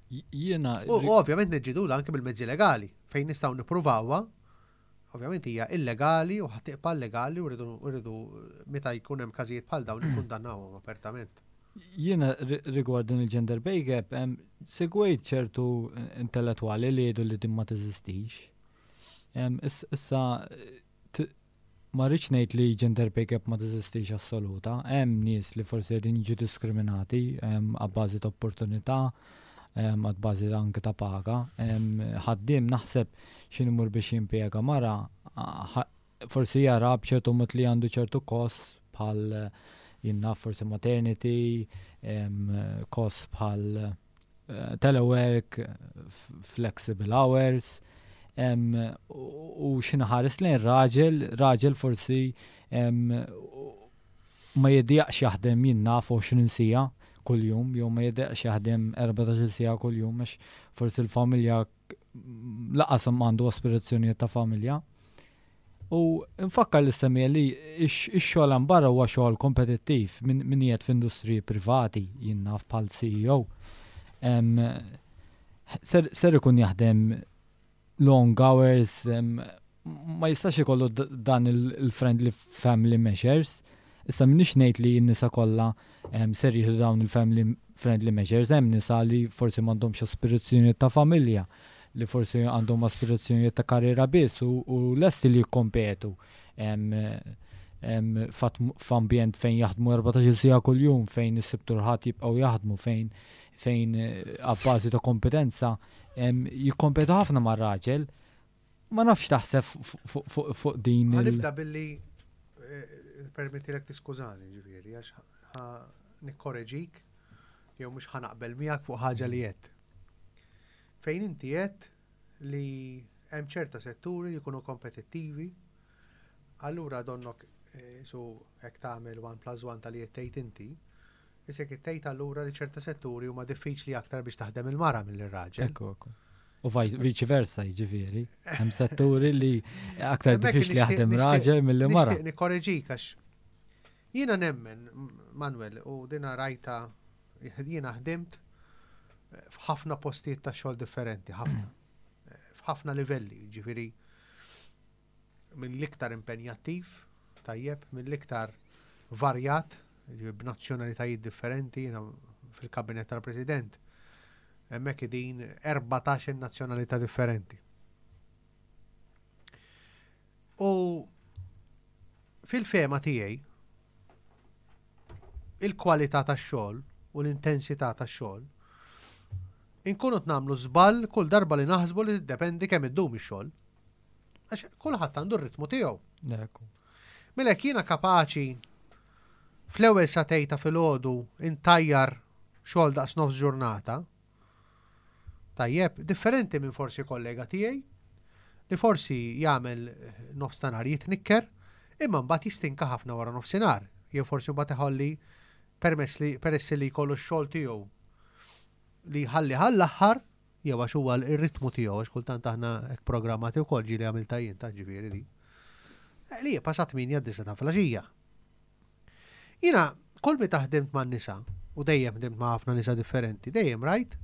Jiena U ovvjament niġġildula anke bil-mezzi legali fejn nistgħu nippruvawha. Ovvjament hija illegali u ħa tibqa' illegali u rridu meta jkun hemm każijiet bħal dawn nikkundannawhom apertament. Jiena rigward din il-gender pay gap, segwejt ċertu intellettwali li jgħidu li din ma teżistix. Issa ma rridx ngħid li gender pay gap ma teżistix assoluta, hemm nies li forsi qegħdin jiġu diskriminati għabbażi ta' opportunità, għad bażi anke ta' paga. Ħaddiem naħseb x'inhu imur biex jimpjega mara, forsi jara b'ċertu mod li għandu ċertu kost bħal jien naf forsi maternity, kost bħal telework, flexible hours, u x'inhu ħares lejn raġel, raġel forsi ma jiddejjaqx jaħdem jien naf 20 siegħa kuljum, jew ma jiddejjaqx jaħdem 14 siegħa kuljum, għax forsi l-familja lanqas għandu aspirazzjonijiet ta' familja. U nfakkar li semmija li ix-xogħol hemm barra huwa xogħol kompetittiv min qiegħed f'industriji privati, jien naf bħal CEO. Ser ikun jaħdem long hours, ma jistax ikollu dan il-friendly family measures. Issa m'iniex ngħid li n-nisa kollha ser jieħdu dawn il-family friendly measures, hemm nisa li forsi m'għandhomx aspirazzjoni ta' familja, li forsi għandhom aspirazzjonijiet ta' karriera biss u lesti li jikkompetu f'ambjent fejn jaħdmu 14 siegħa kuljum, fejn is-Sibt u l-Ħadd jibqgħu jaħdmu, fejn abbażi ta' kompetenza jikkompetu ħafna mar-raġel. Ma nafx taħseb fuq din. Nibda billi Permettilek tiskużani ġifieri għax ħa nikkoreġik jew mhux ħa naqbel miegħek fuq ħaġa li għedt. Fejn inti għedt li hemm ċerta setturi li jkunu kompetittivi, allura donnok eh, su hekk tagħmel 1 plus 1 tal-li qed tgħid inti, isek qed tgħid allura li ċerta setturi huma diffiċli aktar biex taħdem il-mara mill-raġel. Ekku, ekku. U viċi versa, jiġifieri. Hemm setturi li aktar diffiċli jaħdem raġel milli mara. Nixtieq nikkoreġik għax jiena nemmen, Manuel, u dina rajta jiena ħdimt f'ħafna postijiet ta' xogħol differenti, ħafna. F'ħafna livelli, ġifieri mill-iktar impenjattiv, tajjeb, mill-iktar varjat, b'nazzjonalitajiet differenti, jiena fil-kabinet tal-President, hemmhekk qegħdin 14 nazzjonalità differenti. U fil-fehma tiegħi il-kwalità tax-xogħol u l-intensità tax-xogħol inkunu nagħmlu żball kull darba li naħsbu li tiddependi kemm iddum ix-xogħol. Għax kulħadd għandu r-ritmu tiegħu. Mela jekk jiena kapaċi fl-ewwel sagħtejn ta' filgħodu intajjar xogħol daqs nofs ġurnata, tajjeb, differenti minn forsi kollega tiegħi li forsi jagħmel nofs ta' nhar jitnikker, imma mbagħad jistinka ħafna wara nofsinhar, jew forsi mbagħad iħolli permess li peress li jkollu x-xogħol tiegħu li jħalli għall-aħħar jew għax huwa r-ritmu tiegħu għax kultant aħna hekk programmati wkoll ġieli għamilta jien ta' ġifieri di. Eh, li jibqa' sa 8 disa ta' filgħaxija. Jiena kull meta ħdimt man-nisa u dejjem ħdimt ma' ħafna nisa differenti, dejjem rajt,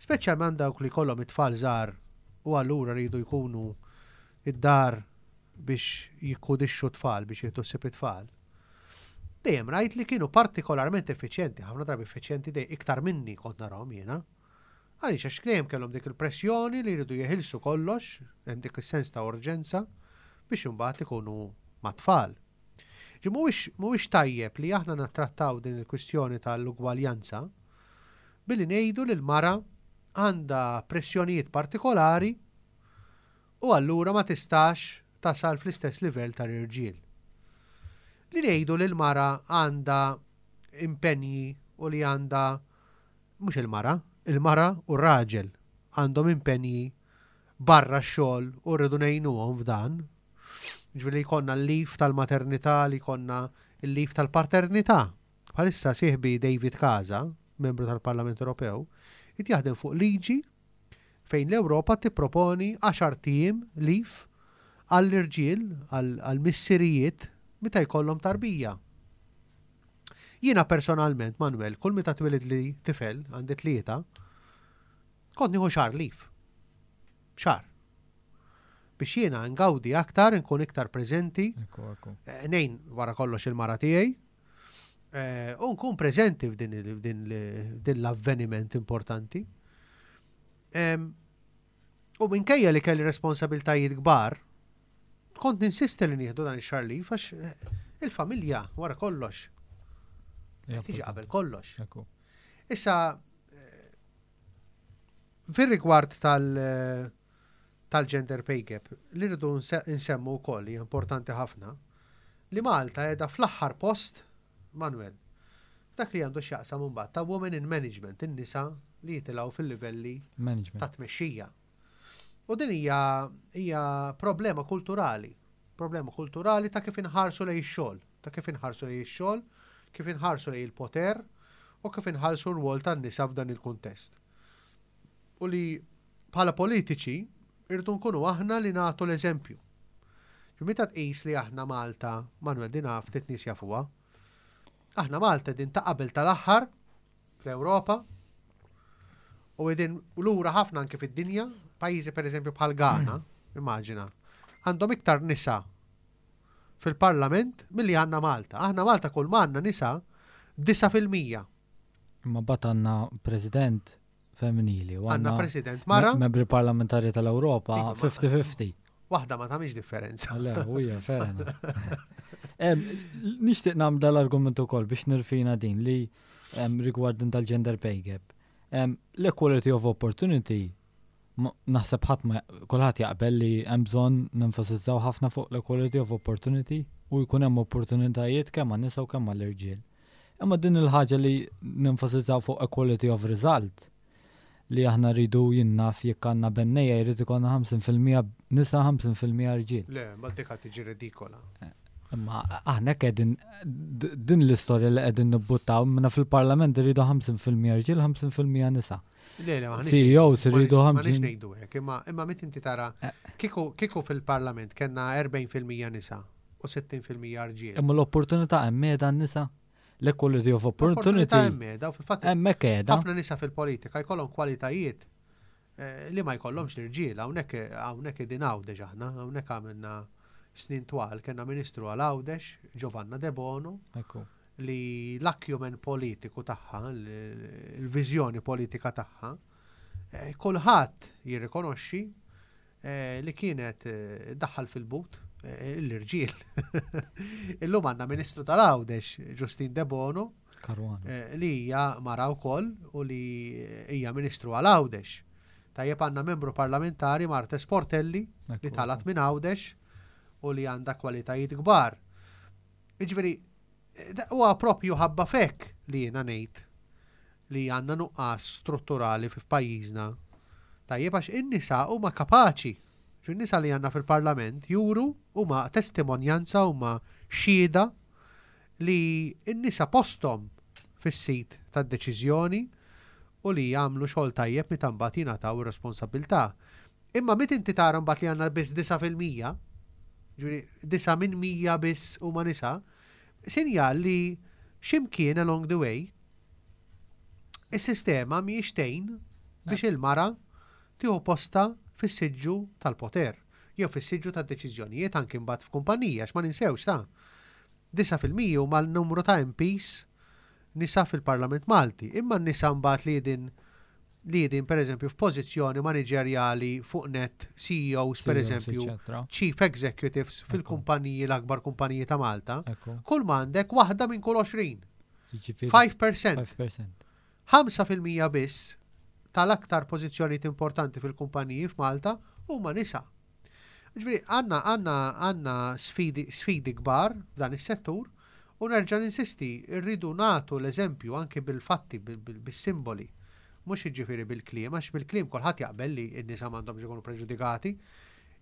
speċjalment dawk li kollhom it-tfal żgħar u allura rridu jkunu id-dar biex jikkudixxu tfal, biex jieħdu ħsieb it-tfal. Dejjem rajt li kienu partikolarment effiċjenti, ħafna drabi effiċjenti dej iktar minni kont narahom jiena. Għaliex għax dejjem kellhom dik il-pressjoni li jridu jeħilsu kollox, hemm dik is-sens ta' urġenza biex imbagħad ikunu mat-tfal. Ġi mhuwiex tajjeb li aħna nattrattaw din il-kwistjoni tal-ugwaljanza billi ngħidu li l-mara għandha pressjonijiet partikolari u allura ma tistax tasal fl-istess livell tal-irġiel. Li ngħidu li l-mara għandha impenji u li għandha mhux il-mara, il-mara u r-raġel għandhom impenji barra x-xogħol u rridu ngħinuhom f'dan. Ġifieri li jkollna l-leave tal-maternità, li jkollna l-leave tal-paternità. Bħalissa sieħbi David Casa, membru tal-Parlament Ewropew, qed jaħdem fuq liġi fejn l-Ewropa tipproponi għaxart ijiem leave għall-irġiel, għall-missirijiet meta jkollhom tarbija. Jiena personalment, Manuel, kull meta twilidli tifel, għandi tlieta, kont nieħu xahar leave. Xahar. Biex jiena ngawdi aktar, nkun iktar preżenti. Eh, nejn wara kollox il-mara tiegħi. Eh, u nkun preżenti f'din l-avveniment importanti. U minkejja li kelli responsabiltajiet kbar, kont ninsisti li nieħdu dan ix-xahar leave għax eh, il-familja wara kollox. Tiġi qabel kollox. Issa, eh, fir-rigward tal- eh, tal-gender pay gap, li rridu nsemmu wkoll hija importanti ħafna, li Malta qiegħda fl-aħħar post, Manuel, f'dak li għandu x'jaqsam imbagħad ta' women in management, in-nisa li jitilgħu fil-livelli ta' tmexxija. U din hija hija problema kulturali, problema kulturali ta' kif inħarsu lejn ix-xogħol, ta' kif inħarsu lejn ix-xogħol, kif inħarsu lejn il-poter u kif inħarsu r-rwol tan-nisa f'dan il-kuntest. U li bħala politiċi irridu nkunu aħna li nagħtu l-eżempju. Meta tqis li aħna Malta, Manuel dina ftit nies jafuha, aħna Malta din ta' qabel tal-aħħar fl-Ewropa u qegħdin lura ħafna anke fid-dinja, pajjiżi pereżempju bħal Ghana, immaġina, għandhom iktar nisa fil-parlament milli għandna Malta. Aħna Malta kull ma għandna nisa 9%. Imma mbagħad għandna president femminili. Għandna president mara. Membri parlamentari tal-Ewropa 50-50. Waħda ma tagħmilx differenza. Le, huja ferena. Nixtieq nagħmel dal-argument ukoll biex nirfina din li rigward din tal-gender pay gap. L-equality of opportunity Naħseb ħadd ma kulħadd jaqbel li hemm bżonn nenfasizzaw ħafna fuq l-equality of opportunity u jkun hemm opportunitajiet kemm għan-nisa u kemm għall-irġiel. Imma din il-ħaġa li nenfasizzaw fuq equality of result li aħna rridu jien naf jekk għandna bennejja jrid ikollna 50% nisa 50% irġiel. Le, ma dik tiġi redikola. Eh, imma aħna qegħdin din l-istorja li qegħdin nibbuttaw minna fil-parlament irridu 50% irġiel 50% nisa. Le, le, CEOs irridu 50. Ma nix ngħidu hekk, imma imma meta inti tara eh. kieku kieku fil-parlament kellna 40% nisa u 60% rġiel. Imma l-opportunità hemm qiegħda n-nisa. L-equality of opportunity. Hemm qiegħda u fil-fatt hemmhekk qiegħda. Ħafna nisa fil-politika jkollhom kwalitajiet eh, li ma jkollhomx l-irġiel, hawnhekk hawnhekk qegħdin Għawdex aħna, hawnhekk għamilna snin twal kellna Ministru għal Għawdex, Giovanna Debono. Ekku. li l-acumen politiku tagħha, il-viżjoni politika tagħha, eh, kulħadd jirrikonoxxi eh, li kienet eh, daħħal fil-but l-irġiel. Illum għandna Ministru tal-Għawdex, Ġustin Debono, li hija mara wkoll u li hija Ministru għal Għawdex. Tajjeb għandna membru parlamentari Marte Sportelli li talat minn Għawdex u li għandha kwalitajiet kbar. Jiġifieri, huwa propju ħabba f'hekk li jiena ngħid li għandna nuqqas strutturali f'pajjiżna. Tajjeb għax in-nisa huma kapaċi. In-nisa li għandna fil-Parlament juru huma testimonjanza huma xhieda li n-nisa posthom fis-sit tad-deċiżjoni u li jagħmlu xogħol tajjeb meta mbagħad jingħataw ir-responsabbiltà. Imma meta inti tara mbagħad li għandna biss 9%, ġifieri 9 minn 100 biss huma nisa, sinjal li x'imkien along the way is-sistema mhijiex tgħin biex il-mara tieħu postha fis-siġġu tal-poter jew fis-siġġu tad-deċiżjonijiet anki mbagħad f'kumpanija għax ma ninsewx ta' 9% huma l-numru ta' MPs nisa fil-Parlament Malti, imma n-nisa mbagħad li qegħdin li qegħdin pereżempju f'pożizzjoni maniġerjali fuq net CEOs pereżempju, Chief Executives fil-kumpaniji l-akbar kumpaniji ta' Malta, kull m'għandek waħda minn kull 20. 5%. 5% biss tal-aktar pożizzjonijiet importanti fil-kumpaniji f'Malta huma nisa. Ġifieri għandna għandna għandna sfidi sfidi kbar f'dan is-settur u nerġa' ninsisti rridu nagħtu l-eżempju anki bil-fatti bis-simboli mhux jiġifieri bil-kliem għax bil-kliem kulħadd jaqbel li n-nisa m'għandhomx ikunu preġudikati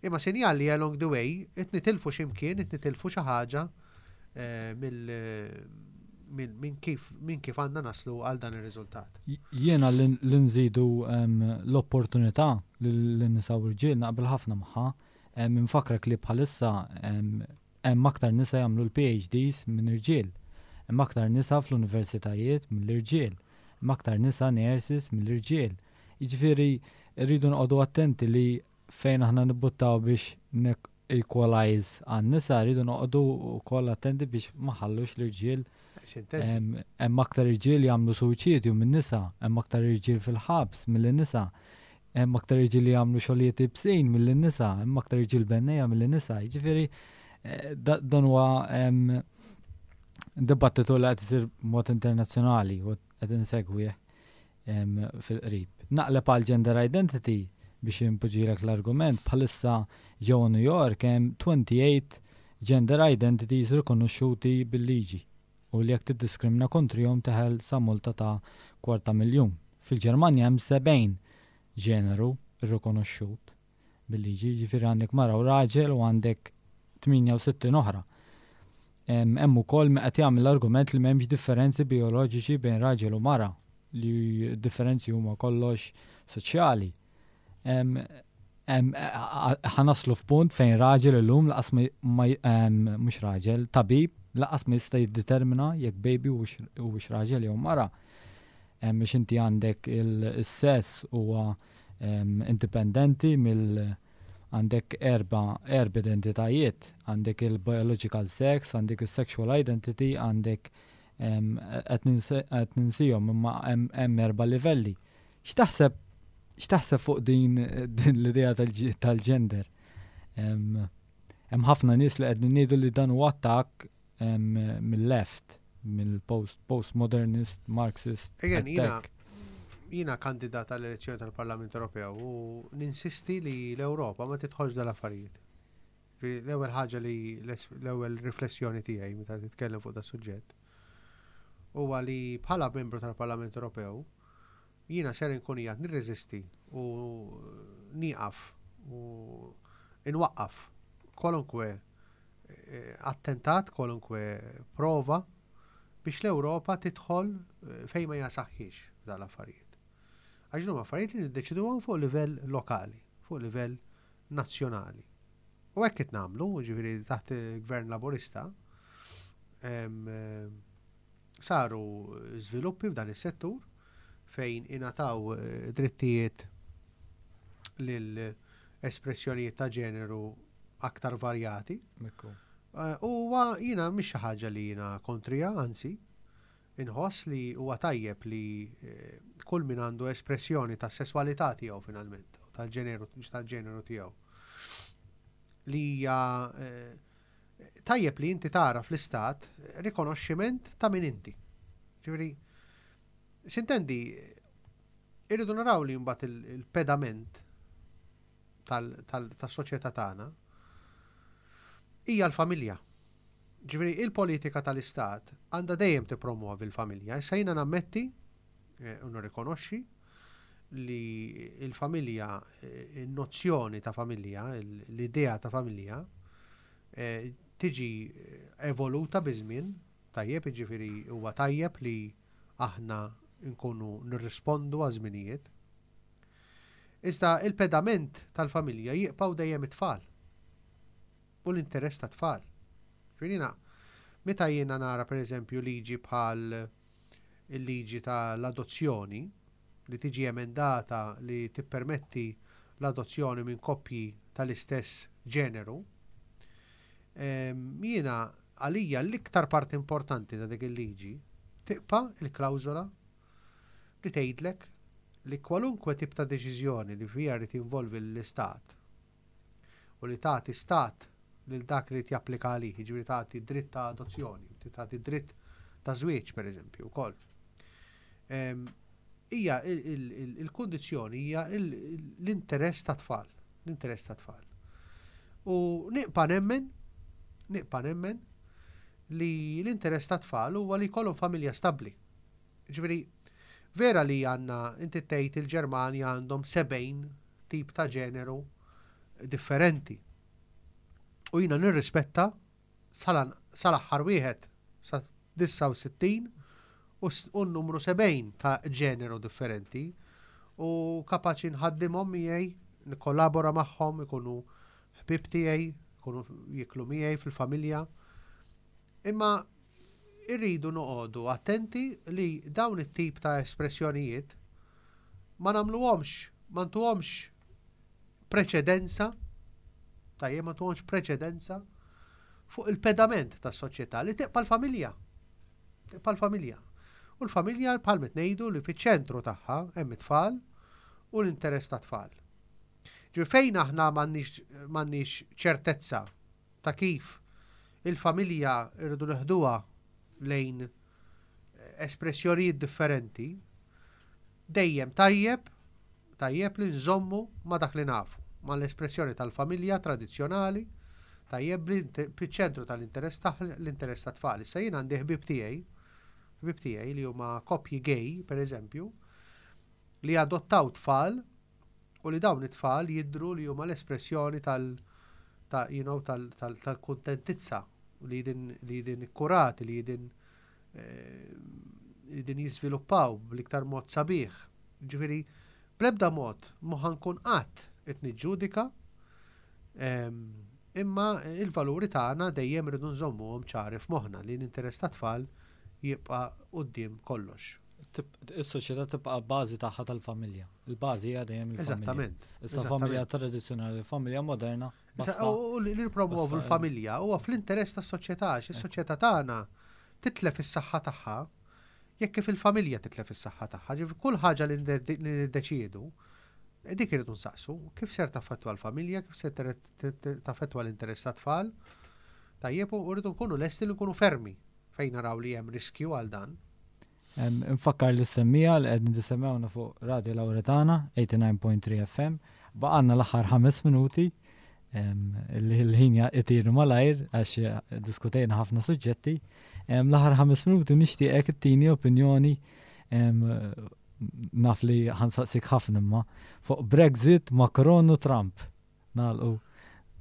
imma sinjal li along the way qed nitilfu xi mkien qed nitilfu xi ħaġa eh, mill minn kif minn kif għandna naslu għal dan ir-riżultat. Jiena li nżidu l-opportunità lin-nisa u rġiel naqbel ħafna magħha. Infakrek li bħalissa hemm aktar nisa jagħmlu l-PhDs minn irġiel. Hemm aktar nisa fl-universitajiet mill-irġiel. Hemm aktar nisa nurses mill-irġiel. Jiġifieri rridu noqogħdu attenti li fejn aħna nibbuttaw biex equalize għan-nisa rridu noqogħdu wkoll attenti biex ma ħallux l-irġiel hemm aktar irġiel jagħmlu suwiċidju minn nisa, hemm aktar irġiel fil-ħabs milli nisa, hemm aktar irġiel li jagħmlu xogħlijiet ibsin milli nisa, hemm aktar irġiel bennejja milli nisa. Jiġifieri eh, dan huwa dibattitu li qed isir mod internazzjonali u qed insegwih fil-qrib. Naqleb għal gender identity biex inpoġġilek l-argument, bħalissa ġewwa New York hemm 28 gender identities rikonoxxuti bil-liġi u li jekk tiddiskrimina kontrihom teħel sa multa ta' kwarta miljun. Fil-Ġermanja hemm 70 ġeneru rrikonoxxut. bil-liġi, jiġifieri għandek mara u raġel u għandek 68 oħra. Hemm ukoll min qed jagħmel l-argument li m'hemmx differenzi bijoloġiċi bejn raġel u mara, li d-differenzi huma kollox soċjali. Ħa naslu f'punt fejn raġel illum laqas ma mhux raġel, tabib laqas ma jista' jiddetermina jekk baby huwiex raġel jew mara. Biex inti għandek il-sess huwa indipendenti mill għandek erba' erba' identitajiet, għandek il-biological sex, għandek is-sexual identity, għandek qed ninsihom imma hemm erba' livelli. X'taħseb x'taħseb fuq din din l-idea tal-gender? Hemm ħafna nies li qegħdin ngħidu li dan huwa attakk mill-left, mill-post postmodernist, Marxist. Again, jiena attack. Jiena kandidat għall-elezzjoni tal-Parlament Ewropew u ninsisti li l-Ewropa ma tidħolx dal-affarijiet. L-ewwel ħaġa li l-ewwel riflessjoni tiegħi meta titkellem fuq da suġġett huwa li bħala membru tal-Parlament Ewropew jiena ser inkun qiegħed nirreżisti u nieqaf u inwaqqaf kwalunkwe eh, attentat, kwalunkwe prova biex l-Ewropa tidħol eh, fejn ma jasaħħiex dal-affarijiet. Għax huma affarijiet li niddeċiduhom fuq livell lokali, fuq livell nazzjonali. U hekk qed nagħmlu, ġifieri taħt il-Gvern Laburista, eh, saru żviluppi f'dan is-settur fejn ingħataw eh, drittijiet lil espressjonijiet ta' ġeneru aktar varjati. Eh, huwa jiena mhix xi ħaġa li jiena kontrija, anzi, inħoss li huwa tajjeb li eh, kull min għandu espressjoni ta' sesswalità tiegħu finalment, tal-ġeneru tal-ġeneru tiegħu. Li hija eh, tajjeb li inti tara fl-istat rikonoxximent ta' min inti. Ġifieri, sintendi, irridu naraw li mbagħad il-pedament tas-soċjetà tagħna hija l-familja. Ġifieri il-politika tal-istat għandha dejjem tippromuovi l-familja. Issa jiena nammetti eh, u nirrikonoxxi li l-familja, eh, il-nozzjoni ta' familja, l-idea ta' familja, eh, tiġi evoluta biż-żmien, tajjeb, jiġifieri huwa tajjeb li aħna nkunu nirrispondu għaż-żminijiet. Iżda il-pedament tal-familja jibqgħu dejjem it-tfal u l-interess tat-tfal. Ġifieri jiena meta jiena nara pereżempju liġi bħal il-liġi tal-adozzjoni li tiġi emendata li tippermetti l-adozzjoni minn koppji tal-istess ġeneru, jiena għalija l-iktar parti importanti ta' dik il-liġi tibqa' il-klawżola li tgħidlek li kwalunkwe tip ta' deċiżjoni li fiha jrid jinvolvi l-Istat u li tagħti stat lil dak li japplika għalih, jiġifieri tagħti dritt ta' adozzjoni, tagħti dritt ta' żwieġ pereżempju wkoll. Hija il-kundizzjoni hija l-interess ta' tfal, l-interess ta' tfal. U nibqa' nemmen, nibqa' nemmen li l-interess ta' tfal huwa li jkollhom familja stabbli. Ġifieri, vera li għandna, inti tgħid il-Ġermanja għandhom 70 tip ta' ġeneru differenti. U jiena nirrispetta sal-aħħar wieħed sa 69 u n-numru 70 ta' ġeneru differenti u kapaċi nħaddimhom miegħi, nikkollabora magħhom, ikunu ħbieb tiegħi, ikunu jiklu miegħi fil-familja. Imma irridu noqogħdu attenti li dawn it-tip ta' espressjonijiet ma nagħmluhomx, ma ntuhomx preċedenza, tajjeb ma ntuhomx preċedenza fuq il-pedament tas-soċjetà li tibqa' l-familja. Tibqa' l-familja. U l-familja bħal ngħidu li fiċ-ċentru tagħha hemm it-tfal u l-interess tat-tfal. Ġifieri fejn aħna m'għandniex ċertezza ta' kif il-familja rridu neħduha lejn espressjonijiet differenti, dejjem tajjeb tajjeb li nżommu ma' dak li nafu, ma' l-espressjoni tal-familja tradizzjonali, tajjeb li fiċ-ċentru tal-interess tagħha l-interess tat-tfal. Issa jien għandi ħbieb tiegħi, ħbieb tiegħi li huma koppji gay, pereżempju, li adottaw tfal u li dawn it-tfal jidhru li huma l-espressjoni tal ta' you know, tal-kuntentizza li din li din ikkurati li din eh, li din jiżviluppaw bl-iktar mod sabiħ. Ġifieri, bl-ebda mod mhu ħa nkun qatt qed niġġudika ehm, imma il-valuri tagħna dejjem irridu nżommuhom ċari f'moħħna li l-interess tat-tfal jibqa' quddiem kollox. Is-soċjetà tibqa' bażi tagħha tal-familja. Il-bażi hija dejjem il-familja. Eżattament. Issa familja tradizzjonali, familja moderna. U li nippromovu l-familja huwa fl-interess tas-soċjetà, għax is-soċjetà tagħna titlef is-saħħa tagħha jekk kif il-familja titlef is-saħħa tagħha. Ġifieri kull ħaġa li niddeċiedu, dik irridu nsaqsu, kif ser taffettwa l-familja, kif ser taffettwa l-interess tat-tfal. Tajjeb u rridu nkunu lesti li nkunu fermi fejn naraw li hemm riskju għal dan. Infakkar lis-semmiegħa li qegħdin tisemmgħuna fuq Radio Lauretana 89.3 FM. Baqgħalna l-aħħar ħames minuti l-ħin itir malajr għax eh, diskutejna ħafna suġġetti. L-aħħar ħames minuti nixtieqek ittini opinjoni naf li ħansaqsik ħafna imma fuq Brexit, Macron u Trump. Nagħlqu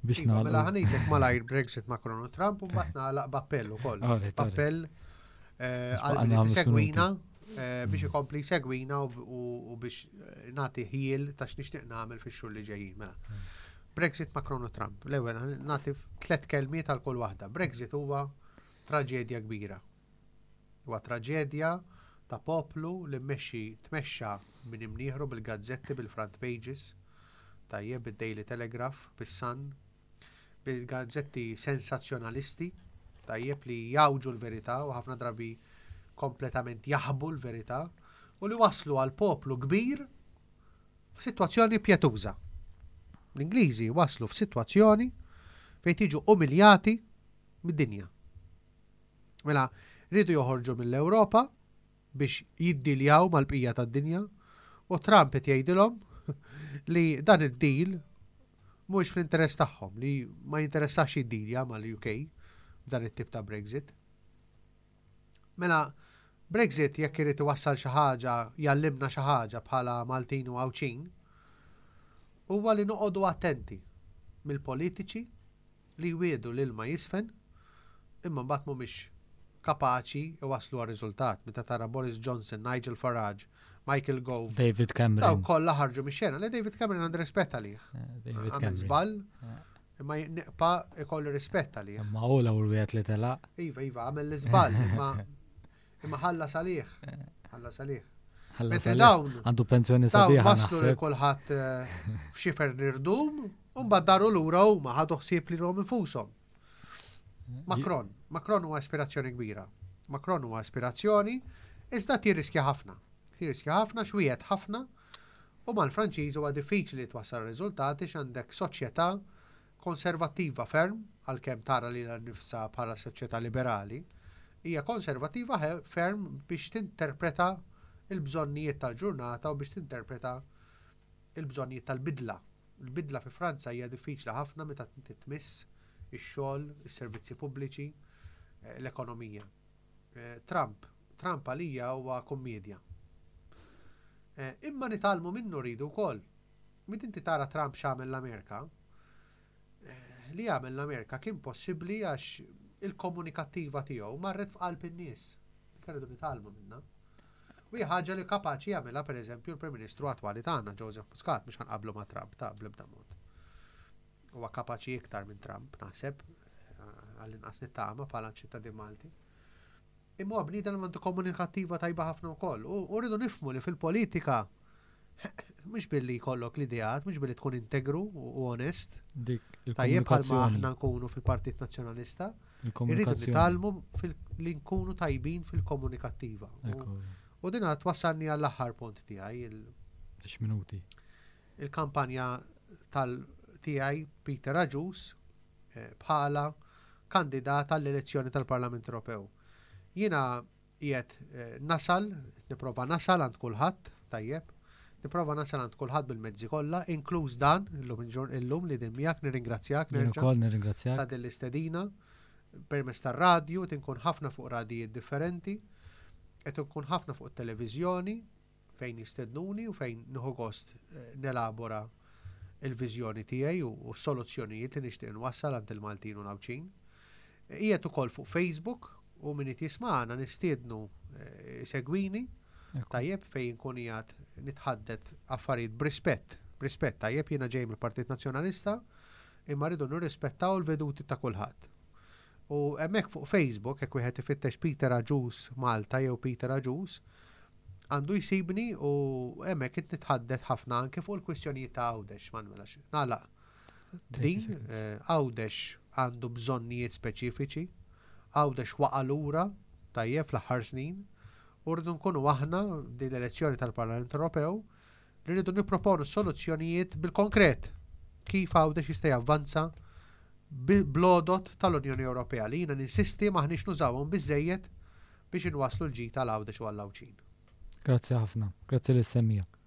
biex iva, nagħlqu. Mela ħanejtek malajr Brexit Macron u Trump u mbagħad nagħlaq b'appell ukoll. Appell eh, għal min segwina eh, biex ikompli segwina u biex eh, nagħti ħiel ta' x'nixtieq nagħmel fix-xhur li ġejjin. Mela. Brexit Macron u Trump. L-ewwel nagħti tliet kelmiet għal kull waħda. Brexit huwa traġedja kbira. Huwa traġedja ta' poplu li mmexxi tmexxa minn imnieħru bil-gazzetti bil-front pages, tajjeb, bid-Daily Telegraph, bis-Sun, bil-gazzetti sensazzjonalisti, tajjeb, li jgħawġu l-verità u ħafna drabi kompletament jaħbu l-verità u li waslu għal poplu kbir f'sitwazzjoni pjetuża. L-Ingliżi waslu f'sitwazzjoni fejn tiġu umiljati mid-dinja. Mela, riedu joħorġu mill-Ewropa biex jiddiljaw mal-bqija tad-dinja u Trump qed jgħidilhom li dan id-deal mhuwiex fl-interess tagħhom, li ma jinteressax jiddilja mal-UK b'dan it-tip ta' Brexit. Mela, Brexit jekk irid iwassal xi ħaġa, jgħallimna xi ħaġa bħala Maltin u Għawdxin, huwa li noqogħdu attenti mill-politiċi li jwiegħdu l-ilma jiżfen imma mbagħad mhumiex kapaċi jwasslu għar-riżultat. Meta tara Boris Johnson, Nigel Farage, Michael Gove, David Cameron. Dawk kollha ħarġu mix-xena. Le David Cameron għandi rispett għalih. Eh, David Għamel żball, eh. imma niqpa ikollu rispett għalih. Imma hu l-ewwel wieħed li telaq. Iva, iva, għamel l-iżball, imma imma ħallas għalih. Eh. Ħallas għalih. Mentri dawn. Għandu pensjoni sabiħa. Waslu li kulħadd f'xifer l-irdum, u mbagħad daru lura huma ħadu ħsieb lilhom infushom. Macron, Macron huwa ispirazzjoni kbira. Macron huwa ispirazzjoni, iżda tirriskja ħafna. Tirriskja ħafna, xwiegħed ħafna, u mal-Franċiż huwa diffiċli twassal riżultati x'għandek soċjetà konservattiva ferm, għalkemm tara lilha nnifisha bħala soċjetà liberali, hija konservattiva ferm biex tinterpreta l-bżonnijiet tal-ġurnata u biex tinterpreta l-bżonnijiet tal-bidla. Il-bidla fi Franza hija diffiċli ħafna meta inti tmiss ix-xogħol, is-servizzi pubbliċi, l-ekonomija. Trump, Trump għalija huwa kummedja. Imma nitgħallmu minnu rridu wkoll. Meta inti tara Trump x'għamel l-Amerika, eh, li għamel l-Amerika kien possibbli għax il-komunikattiva tiegħu marret f'qalb in-nies. Dik rridu nitgħallmu minnha. U hija ħaġa li kapaċi jagħmilha pereżempju l-Prim Ministru attwali tagħna Joseph Muscat biex ħanqablu ma' Trump ta' bl-ebda mod. Huwa kapaċi iktar minn Trump, naħseb, eh, għall-inqas nittama bħala ċittadin Malti. Imma huwa bniedem li għandu komunikattiva tajba ħafna wkoll. U rridu nifhmu li fil-politika mhux billi jkollok l-ideat, mhux billi tkun integru u onest. Tajjeb bħalma aħna nkunu fil-Partit Nazzjonalista. Irridu nitgħallmu li nkunu tajbin fil-komunikattiva. U din twassalni għall-aħħar punt tiegħi. minuti. Il-kampanja tal tiegħi Peter Agius eh, bħala kandidat għall-elezzjoni tal-Parlament Ewropew. Jiena qiegħed eh, nasal, nipprova nasal għand kulħadd, tajjeb, nipprova nasal għand kulħadd bil-mezzi kollha, inkluż dan illum illum li din miegħek nirringrazzjak nerġa' nirringrazzjak ta' din l-istedina permezz tar-radju, qed inkun ħafna fuq radijiet differenti, qed inkun ħafna fuq it-televiżjoni, fejn jistednuni u fejn nieħu gost eh, nelabora il-viżjoni tiegħi u s-soluzzjonijiet li nixtieq nwassal għand il-Maltin u l-Għawdxin. Qiegħed ukoll fuq Facebook u min qed jismagħna nistiednu eh, segwini tajjeb fejn nkun qiegħed nitħaddet affarijiet b'rispett, b'rispett tajjeb jiena ġej mill-Partit Nazzjonalista imma rridu nirrispettaw il-veduti ta' kulħadd. U hemmhekk fuq Facebook jekk wieħed ifittex Peter Agius Malta jew Peter Agius għandu jsibni u hemmhekk qed nitħaddet ħafna anke fuq il-kwistjonijiet ta' Għawdex, Manuel, għax nagħlaq din eh, Għawdex għandu bżonnijiet speċifiċi, Għawdex waqa' lura tajjeb fl-aħħar snin u rridu nkunu aħna din l-elezzjoni tal-Parlament Ewropew li rridu nipproponu soluzzjonijiet bil-konkret kif Għawdex jista' javvanza bl-għodod tal-Unjoni Ewropea li jiena ninsisti m'aħniex nużawhom biżżejjed. biex inwasslu l-ġid għal Għawdex u għall-Għawdxin. Grazzi ħafna. Grazzi lis-semmiegħa.